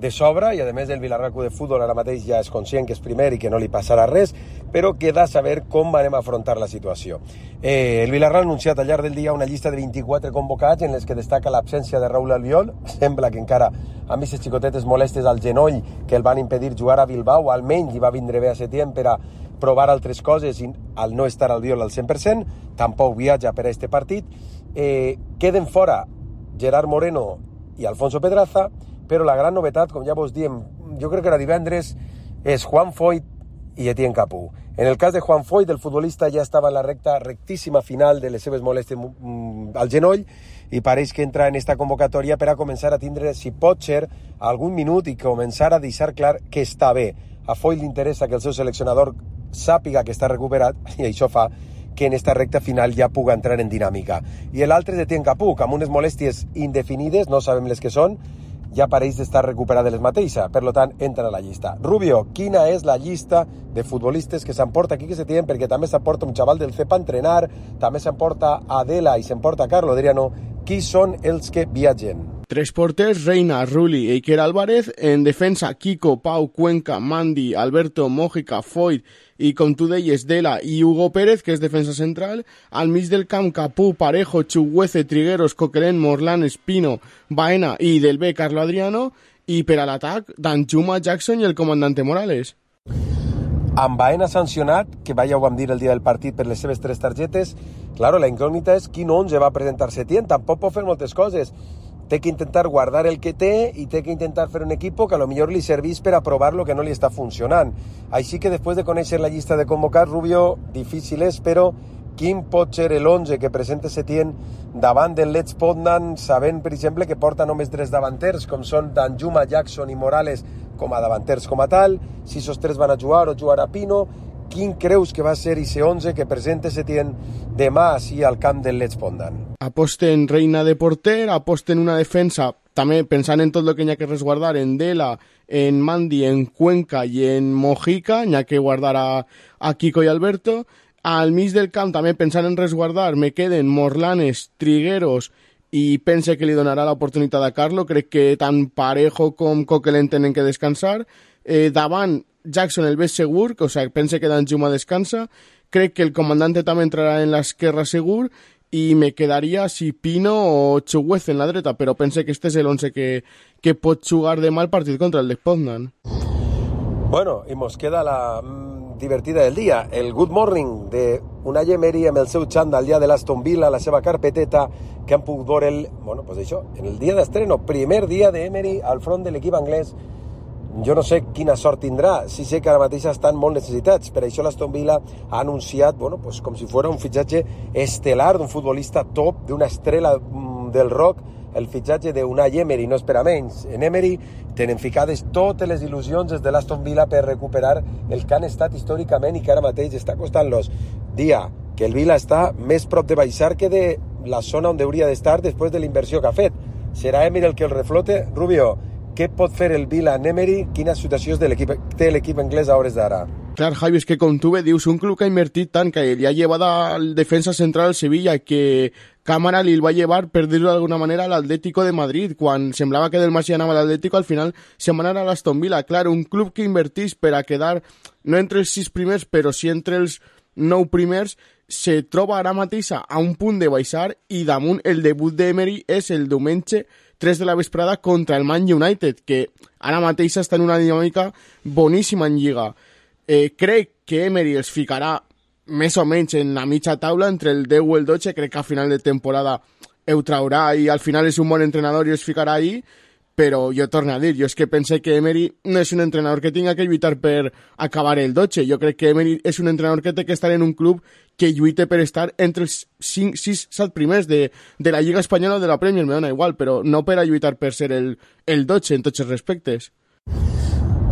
de sobre i, a més, el Villarreal Club de Futbol ara mateix ja és conscient que és primer i que no li passarà res, però queda saber com anem a afrontar la situació. Eh, el Villarreal ha anunciat al llarg del dia una llista de vint-i-quatre convocats en les que destaca l'absència de Raúl Albiol. Sembla que encara amb aquestes xicotetes molestes al genoll que el van impedir jugar a Bilbao, almenys li va vindre bé a Setién per a provar altres coses i al no estar Albiol al cent per cent, tampoc viatja per a este partit. Eh, queden fora Gerard Moreno i Alfonso Pedraza, però la gran novetat, com ja vos diem, jo crec que era divendres, és Juan Foyth i Etienne Capú. En el cas de Juan Foyth, el futbolista ja estava en la recta rectíssima final de les seves molèsties al genoll i pareix que entra en esta convocatòria per a començar a tindre, si pot ser, algun minut i començar a deixar clar que està bé. A Foyth li interessa que el seu seleccionador sàpiga que està recuperat i això fa que en esta recta final ja puga entrar en dinàmica. I l'altre és Etienne Capoue, amb unes molèsties indefinides, no sabem les que són, ja pareix d'estar recuperat de les mateixes, per tant, entra a la llista. Rubio, quina és la llista de futbolistes que s'emporta aquí que se tienen? Perquè també s'emporta un xaval del C E P a entrenar, també s'emporta Adela i s'emporta Carlo Adriano. Qui són els que viatgen? Tres porters, Reina, Rulli i Iker Álvarez. En defensa, Kiko, Pau, Cuenca, Mandi, Alberto, Mójica, Foyt i, com tu deies, Dela i Hugo Pérez, que és defensa central. Al mig del camp, Capoue, Parejo, Chuguece, Trigueros, Coquelin, Morlan, Espino, Baena i del B, Carlo Adriano. I per a l'atac, Danjuma, Jackson i el comandante Morales. Amb Baena sancionat, que ja ho vam dir el dia del partit per les seves tres targetes, claro, la incògnita és quin onze va presentar Setién. Tampoc pot fer moltes coses. Té que intentar guardar el que té i té que intentar fer un equip que a lo millor li servís per a provar lo que no li està funcionant. Així que després de conèixer la llista de convocats, Rubio, difícil és, però quin pot ser l'onze que presenta Setién davant del Lech Poznan, sabent, per exemple, que porta només tres davanters, com són Danjuma, Jackson i Morales, com a davanters com a tal, si esos tres van a jugar o jugarà Pino. Quin creus que va ser ese onze que presenta Setién demà així al camp del Lech Poznan? Aposten Reina de porter, aposten una defensa, també pensant en tot el que hi ha que resguardar, en Dela, en Mandi, en Cuenca i en Mojica, hi ha que guardar a, a Kiko i Alberto. Al mig del camp, també pensant en resguardar, me queden Morlanes, Trigueros i pense que li donarà l'oportunitat a Carlo. Crec que tant Parejo com Coquelin tenen que descansar. Eh, davant, Jackson el ves segur, o sigui, pense que Danjuma descansa. Crec que el comandante també entrarà en l'esquerra segur i me quedaria si Pino o Chuguece en la dreta, però pense que este és l'onze que, que pot jugar demà el partit contra el Lech Poznan. Bueno, i mos queda la mm, divertida del dia, el Good Morning de Unai Emery amb el seu xandall ja de l'Aston Villa, la seva carpeteta, que han pogut veure el, bueno, pues això, en el dia d'estreno, primer dia d'Emery al front de l'equip anglès. Jo no sé quina sort tindrà, sí sé que ara mateix estan molt necessitats, per això l'Aston Villa ha anunciat, bueno, pues com si fos un fitxatge estelar d'un futbolista top, d'una estrella del rock, el fitxatge d'Unai Emery, no és per a menys. En Emery tenen ficades totes les il·lusions des de l'Aston Villa per recuperar el que han estat històricament i que ara mateix està costant-los. Dia que el Villa està més prop de baixar que de la zona on hauria d'estar després de la inversió que ha fet. Serà Emery el que el reflote? Rubio, què pot fer el Villa en Emery? Quina situació de l'equip, té l'equip anglès a hores d'ara? Clar, Javi, és que com tu bé dius, un club que ha invertit tant, que li ha llevat al defensa central al Sevilla, que Cámara li va llevar, per dir-ho d'alguna manera, a l'Atlético de Madrid, quan semblava que del Masí anava a l'Atlético, al final se'n va anar a l'Aston Villa. Clar, un club que invertís per a quedar, no entre els sis primers, però sí entre els nou primers, se troba ara mateix a un punt de baixar i damunt el debut d'Emery és el diumenge tres de la vesprada contra el Man United, que ara mateix està en una dinàmica boníssima en Lliga. Eh, crec que Emery els ficarà més o menys en la mitja taula entre el deu o el dotze, crec que a final de temporada ho traurà i al final és un bon entrenador i els ficarà ahí, però jo torno a dir, jo és que pense que Emery no és un entrenador que tinga que lluitar per acabar el dotze, jo crec que Emery és un entrenador que té que estar en un club que lluite per estar entre els cinc, sis, set primers de, de la Lliga Espanyola o de la Premier, me dona igual, però no per a lluitar per ser el, el dotze en tots els respectes.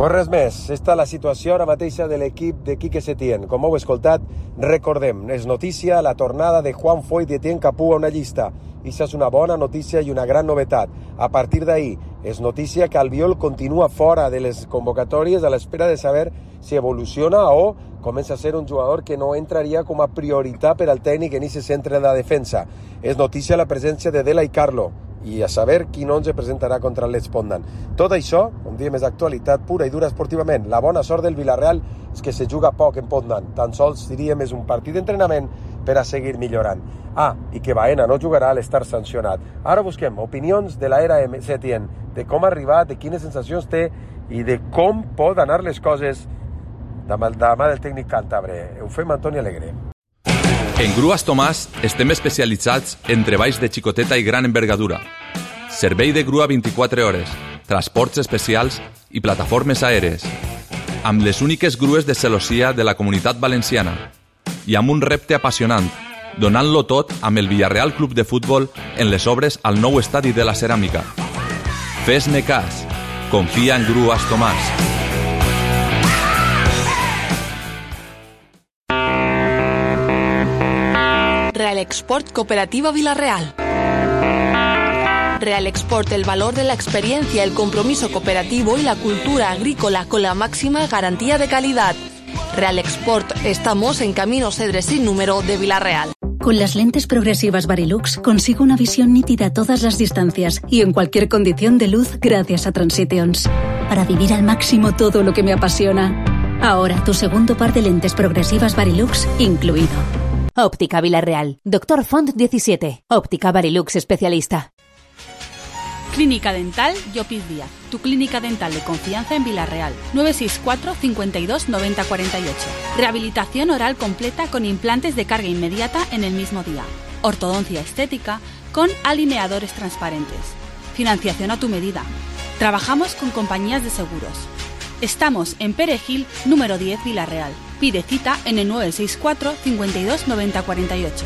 Pues res més, està la situació ara mateixa de l'equip de Quique Setién. Com heu escoltat, recordem, és notícia la tornada de Juan Foyt i Etienne Capoue a una llista. I això és una bona notícia i una gran novetat. A partir d'ahir, és notícia que Albiol continua fora de les convocatòries a l'espera de saber si evoluciona o comença a ser un jugador que no entraria com a prioritat per al tècnic en aquest centre de la defensa. És notícia la presència de Dela i Carlo, i a saber quin onze presentarà contra el Lech Poznan. Tot això, un dia més d'actualitat pura i dura esportivament. La bona sort del Villarreal és que se juga poc en Poznan. Tan sols, diríem, és un partit d'entrenament per a seguir millorant. Ah, i que Baena no jugarà a l'estar sancionat. Ara busquem opinions de l'era Setién, de com ha arribat, de quines sensacions té i de com pot anar les coses de la mà del tècnic càntabre. Ho fem Antoni Alegre. En Grues Tomàs estem especialitzats en treballs de xicoteta i gran envergadura. Servei de grua vint-i-quatre hores, transports especials i plataformes aèries. Amb les úniques grues de celossia de la Comunitat Valenciana. I amb un repte apassionant, donant-lo tot amb el Villarreal Club de Futbol en les obres al nou estadi de la Ceràmica. Fes-ne cas. Confia en Grues Tomàs. Export Cooperativa Vilarreal. Real Export, el valor de la experiencia, el compromiso cooperativo y la cultura agrícola con la máxima garantía de calidad. Real Export, estamos en Camino Cedres sin número de Vilarreal. Con las lentes progresivas Varilux consigo una visión nítida a todas las distancias y en cualquier condición de luz gracias a Transitions. Para vivir al máximo todo lo que me apasiona. Ahora tu segundo par de lentes progresivas Varilux incluido. Óptica Vilarreal. Doctor Font diecisiete. Óptica Varilux especialista. Clínica Dental Llopis Díaz, tu clínica dental de confianza en Vilarreal. nueve seis cuatro, cincuenta y dos, noventa cuarenta y ocho. Rehabilitación oral completa con implantes de carga inmediata en el mismo día. Ortodoncia estética con alineadores transparentes. Financiación a tu medida. Trabajamos con compañías de seguros. Estamos en Perejil, número diez, Vilarreal. Pide cita en el nueve seis cuatro, cincuenta y dos, noventa cuarenta y ocho.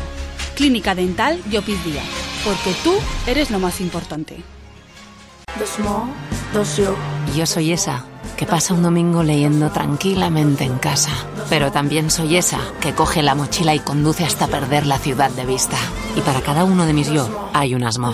Clínica Dental Llopis Díaz, porque tú eres lo más importante. Yo soy esa que pasa un domingo leyendo tranquilamente en casa, pero también soy esa que coge la mochila y conduce hasta perder la ciudad de vista. Y para cada uno de mis yo hay un asmo.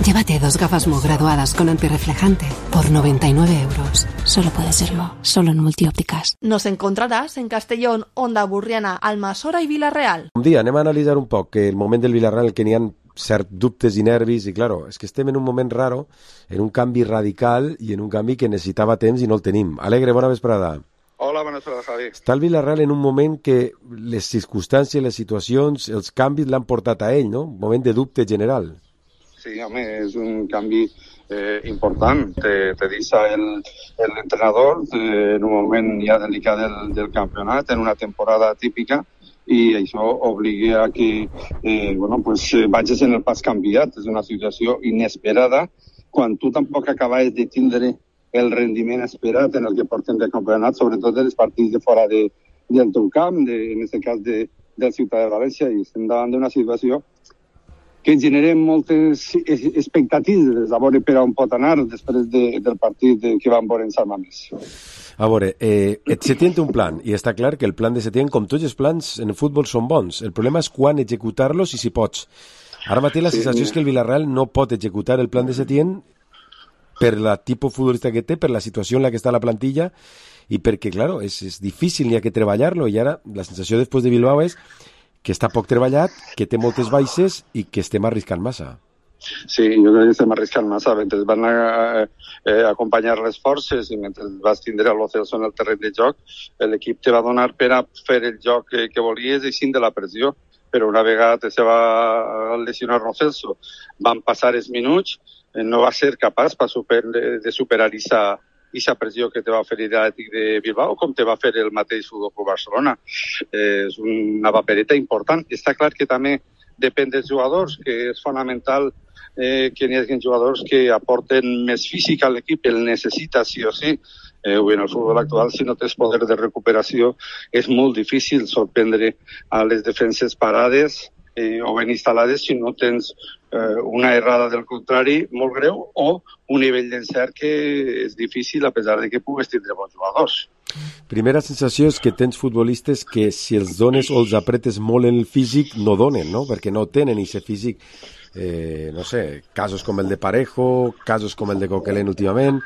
Llévate dos gafas Mo graduadas con antirreflejante por noventa y nueve euros. Solo puede ser Mo, solo en Multiópticas. Nos encontraràs en Castellón, Onda Burriana, Almassora i Vilarreal. Un dia anem a analitzar un poc que el moment del Vilarreal que n'hi ha cert dubtes i nervis i claro, és que estem en un moment raro, en un canvi radical i en un canvi que necessitava temps i no el tenim. Alegre, bona vesprada. Hola, bona vesprada, Javi. Està el Vilarreal en un moment que les circumstàncies, les situacions, els canvis l'han portat a ell, no? Un moment de dubte general. Sí, home, és un canvi eh, important. Te, te deixa el, el entrenador eh, en un moment ja delicat del, del campionat, en una temporada típica, i això obliga a que eh, bueno, pues, vagis en el pas canviat. És una situació inesperada quan tu tampoc acabaves de tindre el rendiment esperat en el que portem de campionat, sobretot dels partits de fora de, del teu camp, de, en aquest cas de, del Ciutat de València, i estem davant d'una situació que genera moltes expectatives a veure per on pot anar després de, del partit de, que van veure en Sant Mamés. A veure, eh, Setién té un plan, i està clar que el plan de Setién, com tots els plans en el futbol, són bons. El problema és quan executar-los i si pots. Ara mateix la sensació sí, és que el Villarreal no pot executar el plan de Setién per la tipus futbolista que té, per la situació en la que està la plantilla, i perquè, claro, és, és difícil, n'hi ha que treballar-lo, i ara la sensació després de Bilbao és que està poc treballat, que té moltes baixes i que estem arriscant massa. Sí, jo crec que estem arriscant massa. Mentre van a, eh, acompanyar les forces i mentre vas tindre a Lo Celso en el terreny de joc, l'equip te va donar per a fer el joc que, que volies i sin de la pressió. Però una vegada se va lesionar Lo Celso, van passar els minuts, eh, no va ser capaç per super, de superar aquesta aquesta pressió que te va fer l'Atlètic de Bilbao, com te va fer el mateix Futbol Club Barcelona. Eh, és una papereta important. Està clar que també depèn dels jugadors, que és fonamental eh, que hi hagi jugadors que aporten més físic a l'equip, el necessita sí o sí. Eh, en el futbol actual, si no tens poder de recuperació, és molt difícil sorprendre a les defenses parades eh, o ben instal·lades si no tens eh, una errada del contrari molt greu o un nivell d'encert que és difícil a pesar de que pugues tindre bons jugadors. Primera sensació és que tens futbolistes que si els dones o els apretes molt en el físic no donen, no? Perquè no tenen aquest físic. Eh, no sé, casos com el de Parejo, casos com el de Coquelin últimament,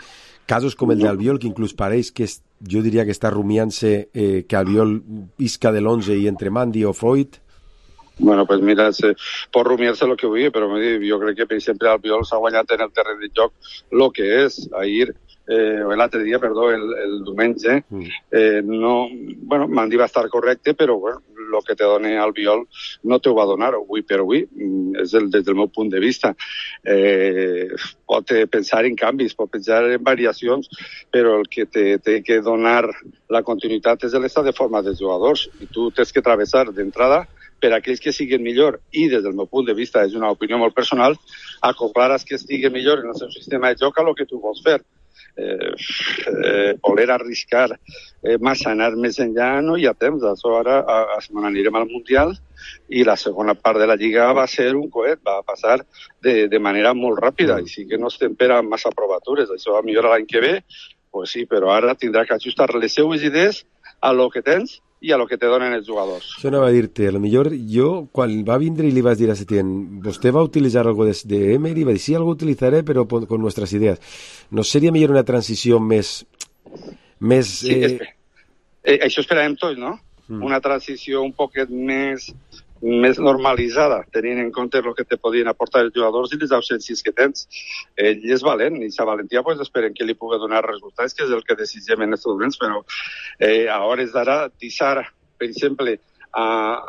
casos com el d'Albiol, que inclús pareix que és, jo diria que està rumiant-se eh, que Albiol isca de l'onze i entre Mandi o Freud. Bueno, pues mira, se, pot rumiar-se el que vulgui, però jo crec que, per exemple, Albiol s'ha guanyat en el terreny de joc el que és. Ahir, eh, l'altre dia, perdó, el, el diumenge, eh, no, bueno, Mandi va estar correcte, però bueno, el que te dona Albiol no te ho va donar avui per avui, és el, des del meu punt de vista. Eh, pot pensar en canvis, pot pensar en variacions, però el que te té que donar la continuïtat és l'estat de forma dels jugadors, i tu tens que travessar d'entrada per a aquells que siguin millor, i des del meu punt de vista, és una opinió molt personal, acoplar als que estiguen millor en el seu sistema de joc a el que tu vols fer. Eh, eh, voler arriscar eh, massa, anar més enllà, no hi ha temps. Això ara a, a, anirem al Mundial i la segona part de la Lliga va ser un coet, va passar de, de manera molt ràpida, i sí que no estem per a massa provatures. Això va millorar l'any que ve, pues sí, però ara tindrà que ajustar les seues idees a lo que tens i a lo que te donen els jugadors. Això anava a dir-te, a lo millor jo, quan va vindre i li vas dir a Setién, vostè va utilitzar algo de, de Emery, va dir, sí, algo utilitzaré, però con nuestras ideas. ¿No seria millor una transició més... més sí, eh... esper... eh, això esperàvem tots, no? Mm. Una transició un poquet més, més normalitzada, tenint en compte el que te podien aportar els jugadors i les ausències que tens. Ell és valent, i sa valentia pues, esperem que li pugui donar resultats, que és el que desitgem en aquests moments, però eh, a hores d'ara, deixar, per exemple, a,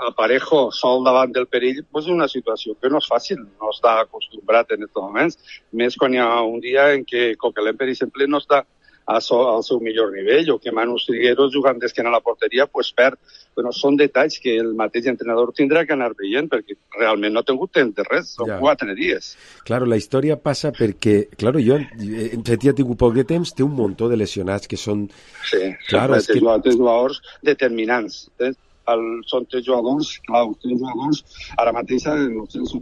a Parejo sol davant del perill, pues, és una situació que no és fàcil, no està acostumbrat en aquests moments, més quan hi ha un dia en què Coquelin, per exemple, no està al seu millor nivell, o que Manu Trigueros jugant d'esquena a la porteria pues perd. Bueno, són detalls que el mateix entrenador tindrà que anar veient, perquè realment no ha tingut temps de res, són ja. quatre dies. Claro, la història passa perquè, claro, jo en Setién ha tingut poc de temps, té un muntó de lesionats que són... Sí, claro, són que... tres jugadors determinants. El, són tres jugadors, clar, tres jugadors, ara mateix els tres,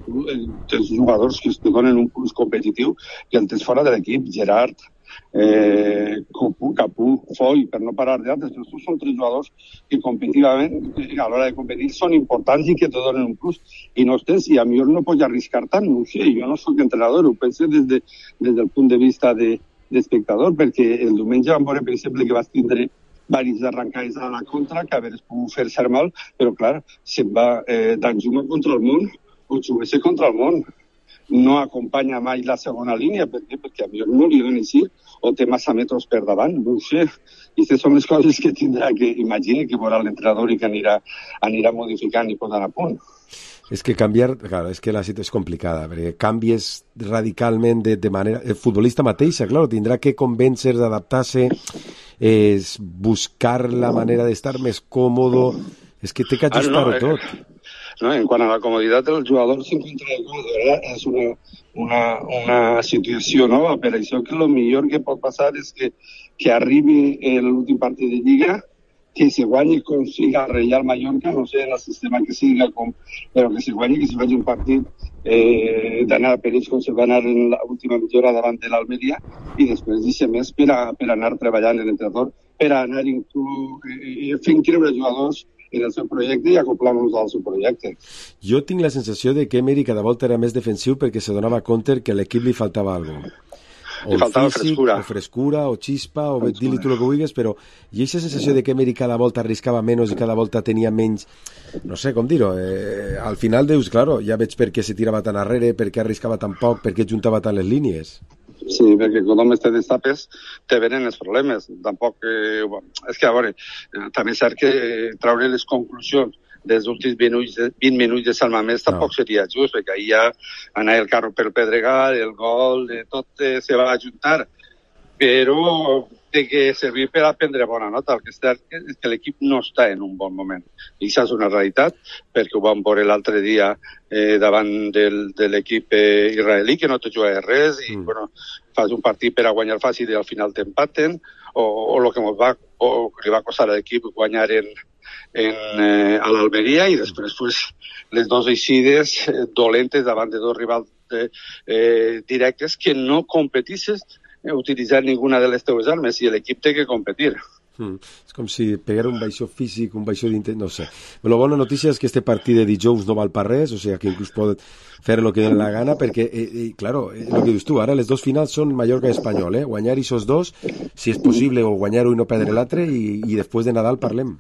tres jugadors que es donen un plus competitiu que el tens fora de l'equip, Gerard, eh, Capú, Capú, Foy, per no parar d'altres, però estos són tres jugadors que competitivament, a l'hora de competir, són importants i que te donen un plus. I no tens, i a millor no pots arriscar tant, no ho sé, jo no soc entrenador, ho penso des, de, des del punt de vista de, d'espectador, perquè el diumenge vam veure, per exemple, que vas tindre diverses arrancades a la contra, que haver pogut fer ser mal, però clar, se'n va eh, d'Anjuma contra el món, o Xubese contra el món. No acompanya mai la segona línia, per què? Perquè a millor no li donen així, o té massa metres per davant, no ho sé. I aquestes són les coses que tindrà que, imagine, que veurà l'entrenador i que anirà, anirà modificant i posant a punt. És que canviar, claro, és que la situació és complicada, perquè canvies radicalment de, de manera... El futbolista mateixa, claro, tindrà que convèncer d'adaptar-se, és buscar la manera d'estar més còmodo, és que té que ajustar-ho ah, no, tot. Eh... No, en quant a la comoditat del jugador s'encontra el gol, és una, una, una situació nova, per això que el millor que pot passar és que, que arribi l'últim partit de Lliga, que se guanyi com siga el Reial Mallorca, no sé en el sistema que siga, com, però que se guanyi, que se faci un partit eh, d'anar a perill com se va anar en l'última mitja davant de l'Almeria, i després deixa més per, a, per anar treballant en l'entrenador, per anar inclús eh, fent creure als jugadors en el seu projecte i acoplar-nos al seu projecte. Jo tinc la sensació de que Emery cada volta era més defensiu perquè se donava compte que a l'equip li faltava alguna cosa. O li faltava físic, frescura. O frescura, o xispa, o dir-li tu el que vulguis, però hi ha aquesta sensació de que Emery cada volta arriscava menys i cada volta tenia menys, no sé com dir-ho, eh, al final dius, claro, ja veig per què se tirava tan arrere, per què arriscava tan poc, per què juntava tant les línies. Sí, perquè quan només te destapes te venen els problemes. Tampoc, eh, és que a veure, eh, també és cert que eh, traure les conclusions dels últims vint minuts, vint minuts de Salma Més tampoc no. seria just, perquè ahir ja anar el carro pel Pedregal, el gol, de tot eh, se va ajuntar, però té que servir per a prendre bona nota. El que és cert és que l'equip no està en un bon moment. I això és una realitat, perquè ho vam veure l'altre dia eh, davant del, de l'equip eh, israelí, que no te juga res, i mm. bueno, fas un partit per a guanyar fàcil i al final t'empaten, o, o el que, va, o que li va costar a l'equip guanyar en, en, eh, a l'Almeria, i després pues, les dues eixides eh, dolentes davant de dos rivals eh, eh, directes que no competisses utilitzar ninguna de les teves armes i l'equip té que competir. Mm. És com si pegar un baixó físic, un baixó d'intent, no sé. La bona notícia és que este partit de dijous no val per res, o sigui que inclús pot fer el que doni la gana, perquè, eh, eh, claro, el que dius tu, ara les dos finals són Mallorca i Espanyol, eh? Guanyar aquests dos, si és possible, o guanyar-ho i no perdre l'altre, i, i després de Nadal parlem.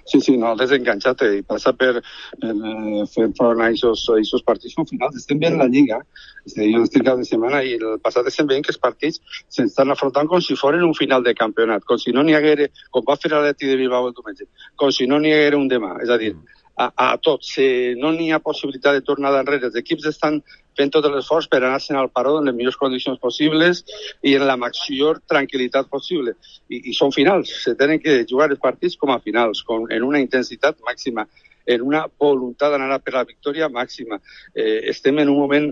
Sí, sí, no, desenganxat i passa per, per eh, fer front a aquests partits finals. Estem veient la Lliga, jo estic cada setmana i el passat estem veient que els partits s'estan afrontant com si foren un final de campionat, com si no n'hi haguera, com va fer l'Atleti de Bilbao el diumenge, com si no n'hi haguera un demà, és a dir, a, a tots, si no n'hi ha possibilitat de tornar d'enrere, els equips estan fent tot l'esforç per anar-se'n al paró en les millors condicions possibles i en la major tranquil·litat possible. I, i són finals, se tenen que jugar els partits com a finals, com, en una intensitat màxima, en una voluntat d'anar per la victòria màxima. Eh, estem en un moment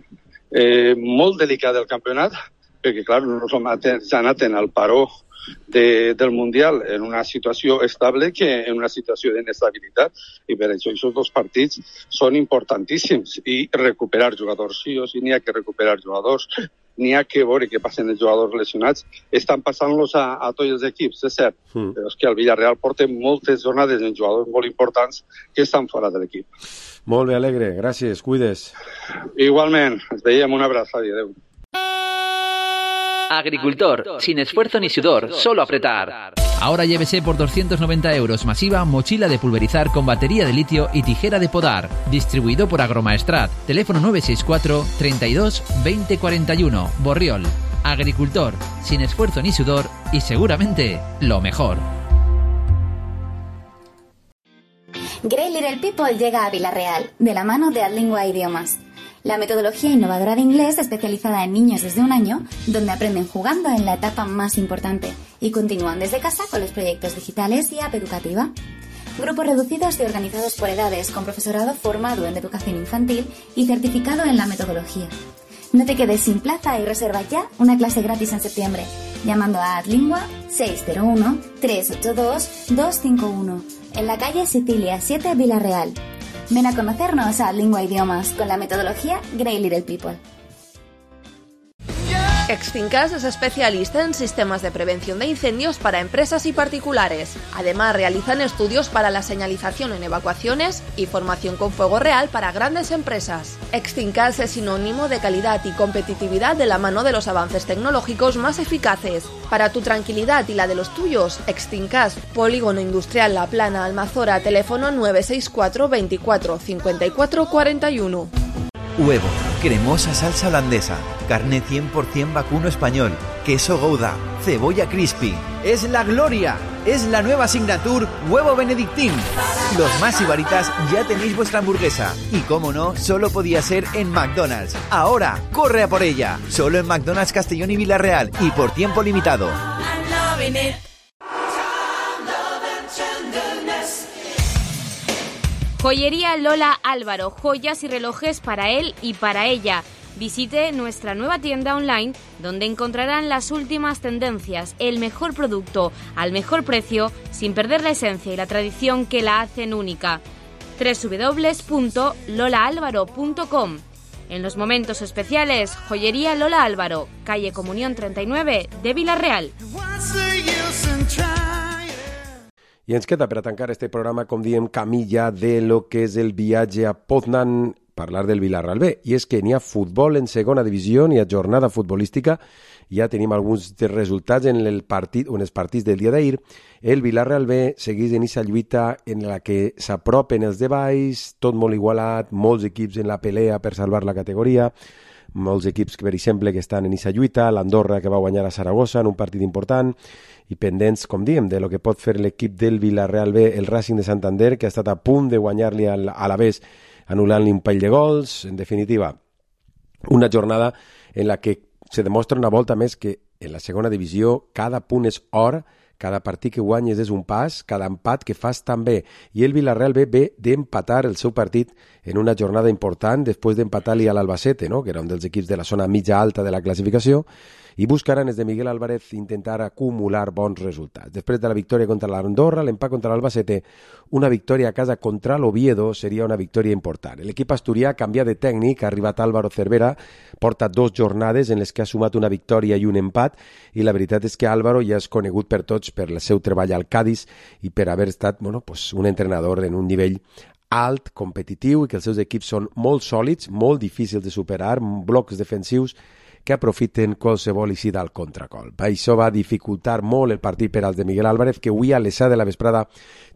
eh, molt delicat del campionat, perquè, clar, no som s'han anat al paró de, del Mundial en una situació estable que en una situació d'inestabilitat, i per això aquests dos partits són importantíssims, i recuperar jugadors, sí o sí n'hi ha que recuperar jugadors, n'hi ha que veure què passen els jugadors lesionats, estan passant-los a, a tots els equips, és cert, mm. però és que el Villarreal porta moltes jornades en jugadors molt importants que estan fora de l'equip. Molt bé, Alegre, gràcies, cuides. Igualment, ens veiem, un abraçada i adeu. Agricultor, sin esfuerzo ni sudor, solo apretar. Ahora llévese por doscientos noventa euros masiva mochila de pulverizar con batería de litio y tijera de podar. Distribuido por Agromaestrat. Teléfono nueve seis cuatro, treinta y dos, veinte cuarenta y uno. Borriol. Agricultor, sin esfuerzo ni sudor y seguramente lo mejor. Grey Little People llega a Villarreal, de la mano de Adlingua Idiomas. La metodología innovadora de inglés especializada en niños desde un año, donde aprenden jugando en la etapa más importante y continúan desde casa con los proyectos digitales y app educativa. Grupos reducidos y organizados por edades con profesorado formado en educación infantil y certificado en la metodología. No te quedes sin plaza y reserva ya una clase gratis en septiembre, llamando a Adlingua seis cero uno, tres ocho dos, dos cinco uno, en la calle Sicilia siete, Villarreal. Ven a conocernos a Adlingua Idiomas con la metodología Grey Little People. Extincas es especialista en sistemas de prevención de incendios para empresas y particulares. Además, realizan estudios para la señalización en evacuaciones y formación con fuego real para grandes empresas. Extincas es sinónimo de calidad y competitividad de la mano de los avances tecnológicos más eficaces. Para tu tranquilidad y la de los tuyos, Extincas, Polígono Industrial La Plana, Almazora, teléfono nueve seis cuatro, veinticuatro, cincuenta y cuatro, cuarenta y uno. Huevo, cremosa salsa holandesa, carne cien por ciento vacuno español, queso Gouda, cebolla crispy. ¡Es la gloria! Es la nueva signature Huevo Benedictín. Los más ibaritas ya tenéis vuestra hamburguesa. Y cómo no, solo podía ser en McDonald's. Ahora, corre a por ella. Solo en McDonald's Castellón y Villarreal y por tiempo limitado. Joyería Lola Álvaro, joyas y relojes para él y para ella. Visite nuestra nueva tienda online donde encontrarán las últimas tendencias, el mejor producto al mejor precio sin perder la esencia y la tradición que la hacen única. doble u doble u doble u punto lola álvaro punto com. En los momentos especiales, Joyería Lola Álvaro, calle Comunión treinta y nueve de Villarreal. I ens queda per a tancar este programa, com diem, camí ja de lo que és el viatge a Poznan, parlar del Villarreal B. I és que n'hi ha futbol en segona divisió, n'hi ha jornada futbolística, ja tenim alguns resultats en el partit, en els partits del dia d'ahir. El Villarreal B segueix en aquesta lluita en la que s'apropen els de baix, tot molt igualat, molts equips en la pelea per salvar la categoria, molts equips, per exemple, que estan en aquesta lluita, l'Andorra, que va guanyar a Saragossa en un partit important, i pendents, com diem, de lo que pot fer l'equip del Villarreal B, el Racing de Santander, que ha estat a punt de guanyar-li a l'Alavés, anul·lant-li un parell de gols. En definitiva, una jornada en la que se demostra una volta més que en la segona divisió cada punt és or, cada partit que guanyes és un pas, cada empat que fas també. I el Villarreal B ve d'empatar el seu partit en una jornada important, després d'empatar-li a l'Albacete, no? Que era un dels equips de la zona mitja alta de la classificació, i buscaran des de Miguel Álvarez intentar acumular bons resultats. Després de la victòria contra l'Andorra, l'empat contra l'Albacete, una victòria a casa contra l'Oviedo seria una victòria important. L'equip asturià canvia de tècnic, ha arribat Álvaro Cervera, porta dos jornades en les que ha sumat una victòria i un empat, i la veritat és que Álvaro ja és conegut per tots per el seu treball al Cádiz i per haver estat, bueno, pues, un entrenador en un nivell alt, competitiu, i que els seus equips són molt sòlids, molt difícils de superar, blocs defensius que aprofiten qualsevol eixida al contracol. Això va dificultar molt el partit per als de Miguel Álvarez, que avui a les set de la vesprada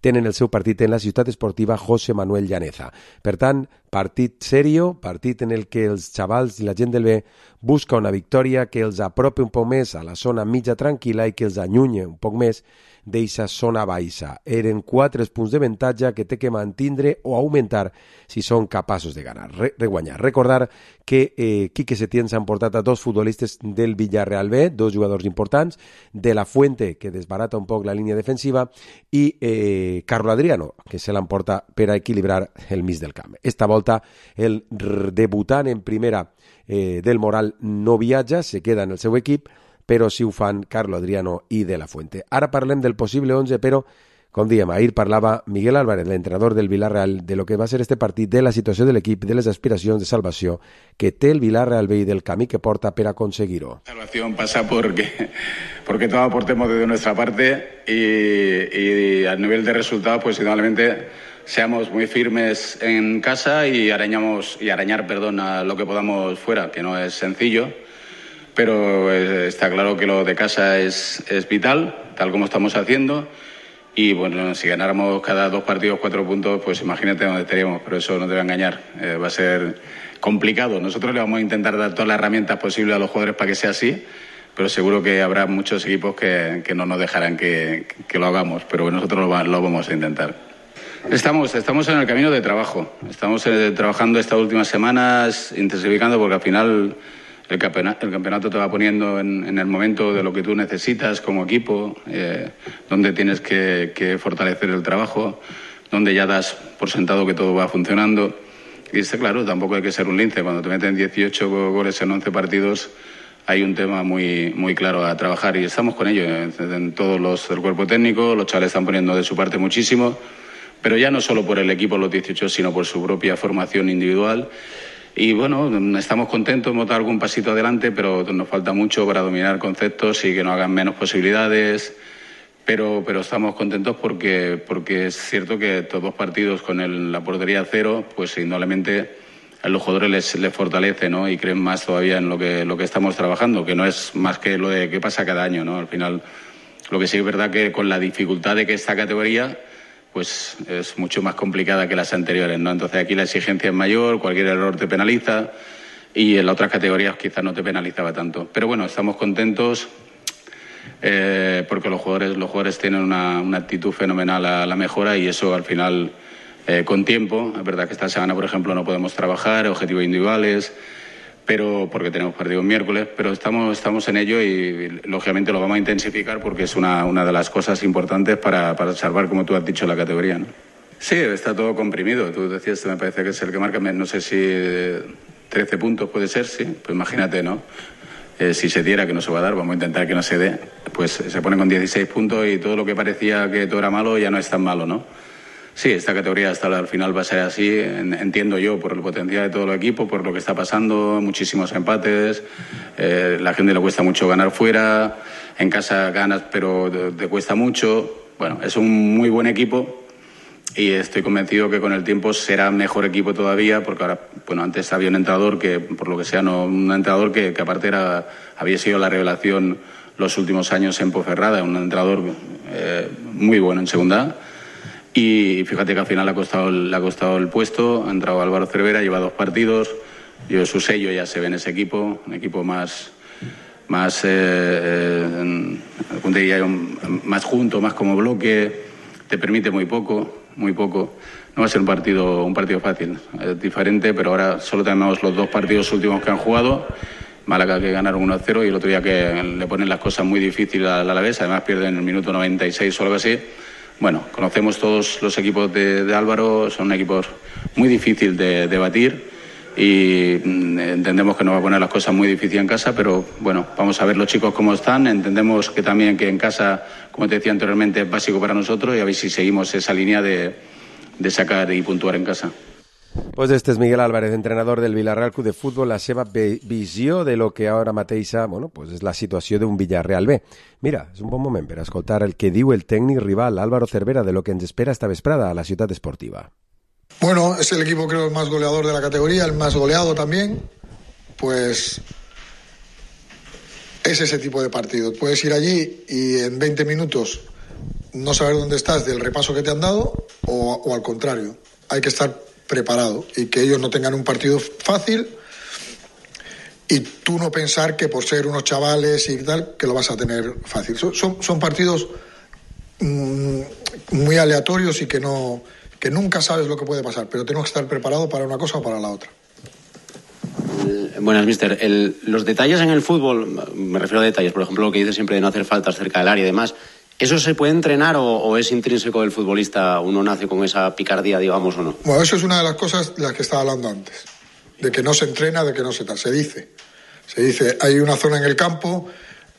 tenen el seu partit en la ciutat esportiva José Manuel Llaneza. Per tant, partit serio, partit en el que els xavals i la gent del B busca una victòria que els apropi un poc més a la zona mitja tranquil·la i que els allunyi un poc més d'eixa zona baixa. Eren quatre punts de avantatge que té que mantindre o augmentar si són capaços de, ganar, de guanyar. Recordar que eh, Quique Setién s'ha emportat a dos futbolistes del Villarreal B, dos jugadors importants, de la Fuente, que desbarata un poc la línia defensiva, i eh, Carlo Adriano, que se l'emporta per a equilibrar el mig del camp. Esta volta, el debutant en primera eh, del Moral no viatja, se queda en el seu equip, però sí ho fan Carlo Adriano i De La Fuente. Ara parlem del possible onze, però, Com diem, ahir parlava Miguel Álvarez, l'entrenador del Villarreal, de lo que va ser este partit, de la situació de l'equip, de les aspiracions de salvació que té el Villarreal B i del camí que porta per aconseguir-ho. La salvación pasa porque, porque todos aportemos desde nuestra parte y, y a nivel de resultados, pues indudablemente seamos muy firmes en casa y arañamos y arañar, perdón, a lo que podamos fuera, que no es sencillo, pero está claro que lo de casa es, es vital, tal como estamos haciendo. Y bueno, si ganáramos cada dos partidos cuatro puntos, pues imagínate dónde estaríamos, pero eso no te va a engañar, eh, va a ser complicado. Nosotros le vamos a intentar dar todas las herramientas posibles a los jugadores para que sea así, pero seguro que habrá muchos equipos que, que no nos dejarán que, que lo hagamos, pero nosotros lo, lo vamos a intentar. Estamos, estamos en el camino de trabajo, estamos eh, trabajando estas últimas semanas, intensificando, porque al final el campeonato, el campeonato te va poniendo en, en el momento de lo que tú necesitas como equipo, eh, donde tienes que, que fortalecer el trabajo, donde ya das por sentado que todo va funcionando. Y está claro, tampoco hay que ser un lince. Cuando te meten dieciocho goles en once partidos, hay un tema muy, muy claro a trabajar y estamos con ello. En, en todos los del cuerpo técnico, los chavales están poniendo de su parte muchísimo, pero ya no solo por el equipo los dieciocho, sino por su propia formación individual. Y bueno, estamos contentos, hemos dado algún pasito adelante, pero nos falta mucho para dominar conceptos y que nos hagan menos posibilidades. Pero, pero estamos contentos porque, porque es cierto que estos dos partidos con el, la portería cero, pues indudablemente a los jugadores les, les fortalece, ¿no? Y creen más todavía en lo que, lo que estamos trabajando, que no es más que lo de qué pasa cada año, ¿no? Al final, lo que sí es verdad que con la dificultad de que esta categoría pues es mucho más complicada que las anteriores, ¿no? Entonces aquí la exigencia es mayor, cualquier error te penaliza y en las otras categorías quizás no te penalizaba tanto. Pero bueno, estamos contentos eh, porque los jugadores, los jugadores tienen una, una actitud fenomenal a la mejora y eso al final eh, con tiempo. Es verdad que esta semana, por ejemplo, no podemos trabajar, objetivos individuales, pero porque tenemos partido el miércoles, pero estamos, estamos en ello y, y lógicamente lo vamos a intensificar porque es una, una de las cosas importantes para, para salvar, como tú has dicho, la categoría, ¿no? Sí, está todo comprimido. Tú decías, me parece que es el que marca, no sé si trece puntos puede ser, sí, pues imagínate, ¿no? Eh, si se diera, que no se va a dar, vamos a intentar que no se dé, pues se pone con dieciséis puntos y todo lo que parecía que todo era malo ya no es tan malo, ¿no? Sí, esta categoría hasta al final va a ser así, entiendo yo, por el potencial de todo el equipo, por lo que está pasando, muchísimos empates, eh, la gente le cuesta mucho ganar fuera, en casa ganas pero te, te cuesta mucho. Bueno, es un muy buen equipo y estoy convencido que con el tiempo será mejor equipo todavía, porque ahora, bueno, antes había un entrenador que, por lo que sea, no un entrenador que, que aparte era, había sido la revelación los últimos años en Ponferrada, un entrenador eh, muy bueno en segunda. Y fíjate que al final le ha costado, le ha costado el puesto, ha entrado Álvaro Cervera, lleva dos partidos, yo su sello ya se ve en ese equipo, un equipo más, más, eh, eh, más junto, más como bloque, te permite muy poco, muy poco. No va a ser un partido, un partido fácil, es diferente, pero ahora solo tenemos los dos partidos últimos que han jugado. Málaga que ganaron uno a cero y el otro día que le ponen las cosas muy difíciles al Alavés, además pierden en el minuto noventa y seis o algo así. Bueno, conocemos todos los equipos de, de Álvaro, son equipos muy difíciles de, de batir y entendemos que nos va a poner las cosas muy difíciles en casa, pero bueno, vamos a ver los chicos cómo están, entendemos que también que en casa, como te decía anteriormente, es básico para nosotros y a ver si seguimos esa línea de, de sacar y puntuar en casa. Pues este és Miguel Álvarez, entrenador del Villarreal Club de Futbol, la seva visió de lo que ara mateixa, bueno, pues és la situació d'un Villarreal B. Mira, és un bon moment per escoltar el que diu el tècnic rival Álvaro Cervera de lo que ens espera esta vesprada a la ciutat esportiva. Bueno, es el equipo creo el más goleador de la categoría, el más goleado también, pues es ese tipo de partido. Puedes ir allí y en veinte minutos no saber dónde estás del repaso que te han dado o, o al contrario, hay que estar preparado y que ellos no tengan un partido fácil y tú no pensar que por ser unos chavales y tal que lo vas a tener fácil. Son, son, son partidos mmm, muy aleatorios y que no que nunca sabes lo que puede pasar, pero tenemos que estar preparados para una cosa o para la otra. Buenas, mister. El, los detalles en el fútbol, me refiero a detalles, por ejemplo, lo que dice siempre de no hacer faltas cerca del área y demás, ¿eso se puede entrenar o, o es intrínseco del futbolista? ¿Uno nace con esa picardía, digamos, o no? Bueno, eso es una de las cosas de las que estaba hablando antes. De que no se entrena, de que no se tal. Se dice. Se dice, hay una zona en el campo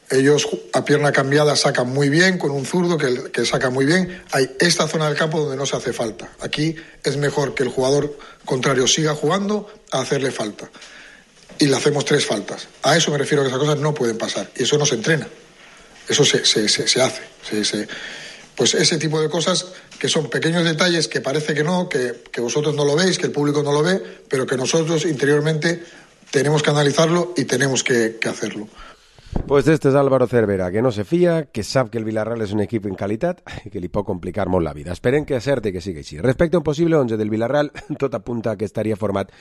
Ellos a pierna cambiada sacan muy bien, con un zurdo que, que saca muy bien. Hay esta zona del campo donde no se hace falta. Aquí es mejor que el jugador contrario siga jugando a hacerle falta. Y le hacemos tres faltas. A eso me refiero, que esas cosas no pueden pasar. Y eso no se entrena. Eso se, se, se, se hace. Se, se... Pues ese tipo de cosas que son pequeños detalles que parece que no, que, que vosotros no lo veis, que el público no lo ve, pero que nosotros interiormente tenemos que analizarlo y tenemos que, que hacerlo. Pues este és Álvaro Cervera, que no se fia, que sap que el Villarreal és un equip en qualitat i que li pot complicar molt la vida. Esperem que acerte que sigui així. Respecte a un possible onze del Villarreal, tot apunta que estaria format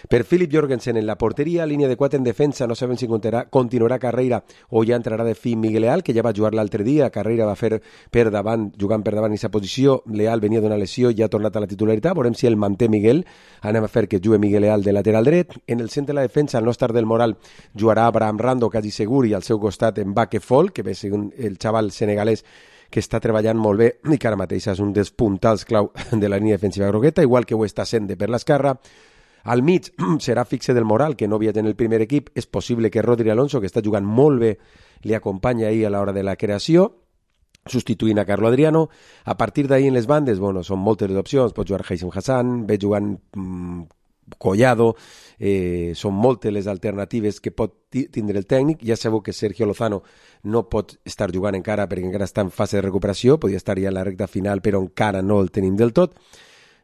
per Philip Jorgensen en la porteria, línia de quatre en defensa, no sabem si continuarà, continuarà Carreira o ja entrarà de fi Miguel Leal, que ja va jugar l'altre dia. Carreira va fer per davant, jugant per davant en aquesta posició. Leal venia d'una lesió i ja ha tornat a la titularitat. Veurem si el manté Miguel. Anem a fer que jugui Miguel Leal de lateral dret. En el centre de la defensa, al no estar del Moral, jugarà Abraham Rando, quasi segur, i al seu costat en Baque Fall, que ve segons el xaval senegalès que està treballant molt bé i que ara mateix és un dels puntals clau de la línia defensiva grogueta, igual que ho està sent de per l'esquerra. Al mig serà fixe del Moral, que no viatja en el primer equip. És possible que Rodri Alonso, que està jugant molt bé, li acompanyi ahir a l'hora de la creació, substituint a Carlo Adriano. A partir d'ahir en les bandes, bueno, són moltes les opcions. Pot jugar Haitham Hassan, ve jugant mmm, Collado, eh, són moltes les alternatives que pot tindre el tècnic. Ja sabeu que Sergio Lozano no pot estar jugant encara perquè encara està en fase de recuperació, podria estar ja en la recta final, però encara no el tenim del tot.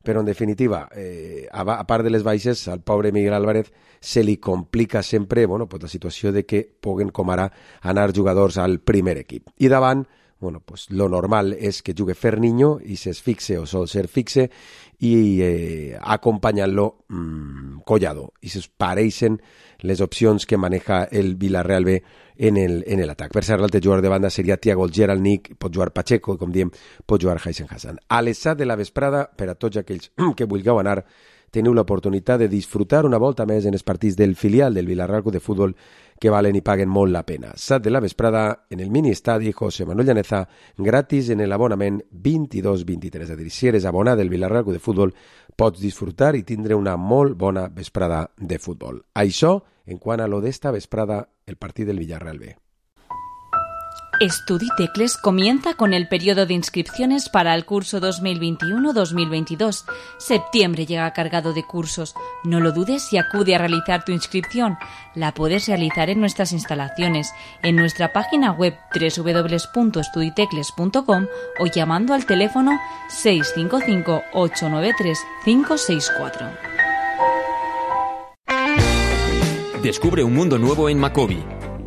Però, en definitiva, eh, a, a part de les baixes, al pobre Miguel Álvarez se li complica sempre bueno, pues la situació de que puguen, com ara, anar jugadors al primer equip. I davant, bueno, pues lo normal és que jugui Ferniño i s'es fixe o sol ser fixe i eh, acompanyant-lo mmm, Collado. I se pareixen les opcions que maneja el Villarreal B en el, en el atac. Per ser l'altre jugador de banda seria Thiago Geralnik, pot jugar Pacheco i, com diem, pot jugar Haitham Hassan. A les set de la vesprada, per a tots aquells que vulgueu anar, teniu l'oportunitat de disfrutar una volta més en els partits del filial del Villarreal Club de Futbol que valen i paguen molt la pena. set de la vesprada en el mini estadi José Manuel Llaneza, gratis en l'abonament vint-i-dos vint-i-tres. És a dir, si eres abonat del Villarreal Club de Futbol, pots disfrutar i tindre una molt bona vesprada de futbol. Això, en quant a lo d'esta vesprada, el partit del Villarreal B. Estudi Tecles comienza con el periodo de inscripciones para el curso dos mil veintiuno dos mil veintidós. Septiembre llega cargado de cursos. No lo dudes y acude a realizar tu inscripción. La puedes realizar en nuestras instalaciones, en nuestra página web doble u doble u doble u punto estuditecles punto com o llamando al teléfono seis cinco cinco ocho nueve tres cinco seis cuatro. Descubre un mundo nuevo en Macobi.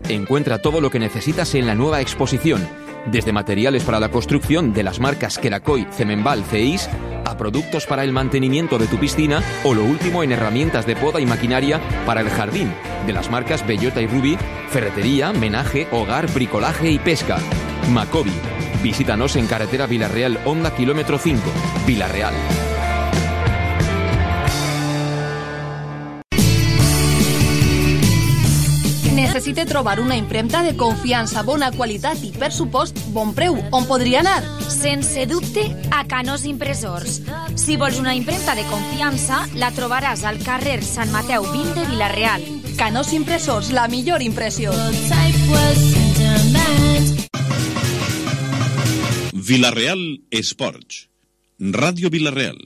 Encuentra todo lo que necesitas en la nueva exposición, desde materiales para la construcción de las marcas Kerakoy, Cemenbal, Ceis, a productos para el mantenimiento de tu piscina o lo último en herramientas de poda y maquinaria para el jardín, de las marcas Bellota y Ruby, ferretería, menaje, hogar, bricolaje y pesca. Macobi. Visítanos en carretera Villarreal Honda kilómetro cinco, Villarreal. Necessite trobar una impremta de confiança, bona qualitat i, per supost, bon preu. On podria anar? Sense dubte, a Canós Impressors. Si vols una impremta de confiança, la trobaràs al carrer Sant Mateu vint de Vila-real. Canós Impressors, la millor impressió. Vila-real Esports. Ràdio Vila-real.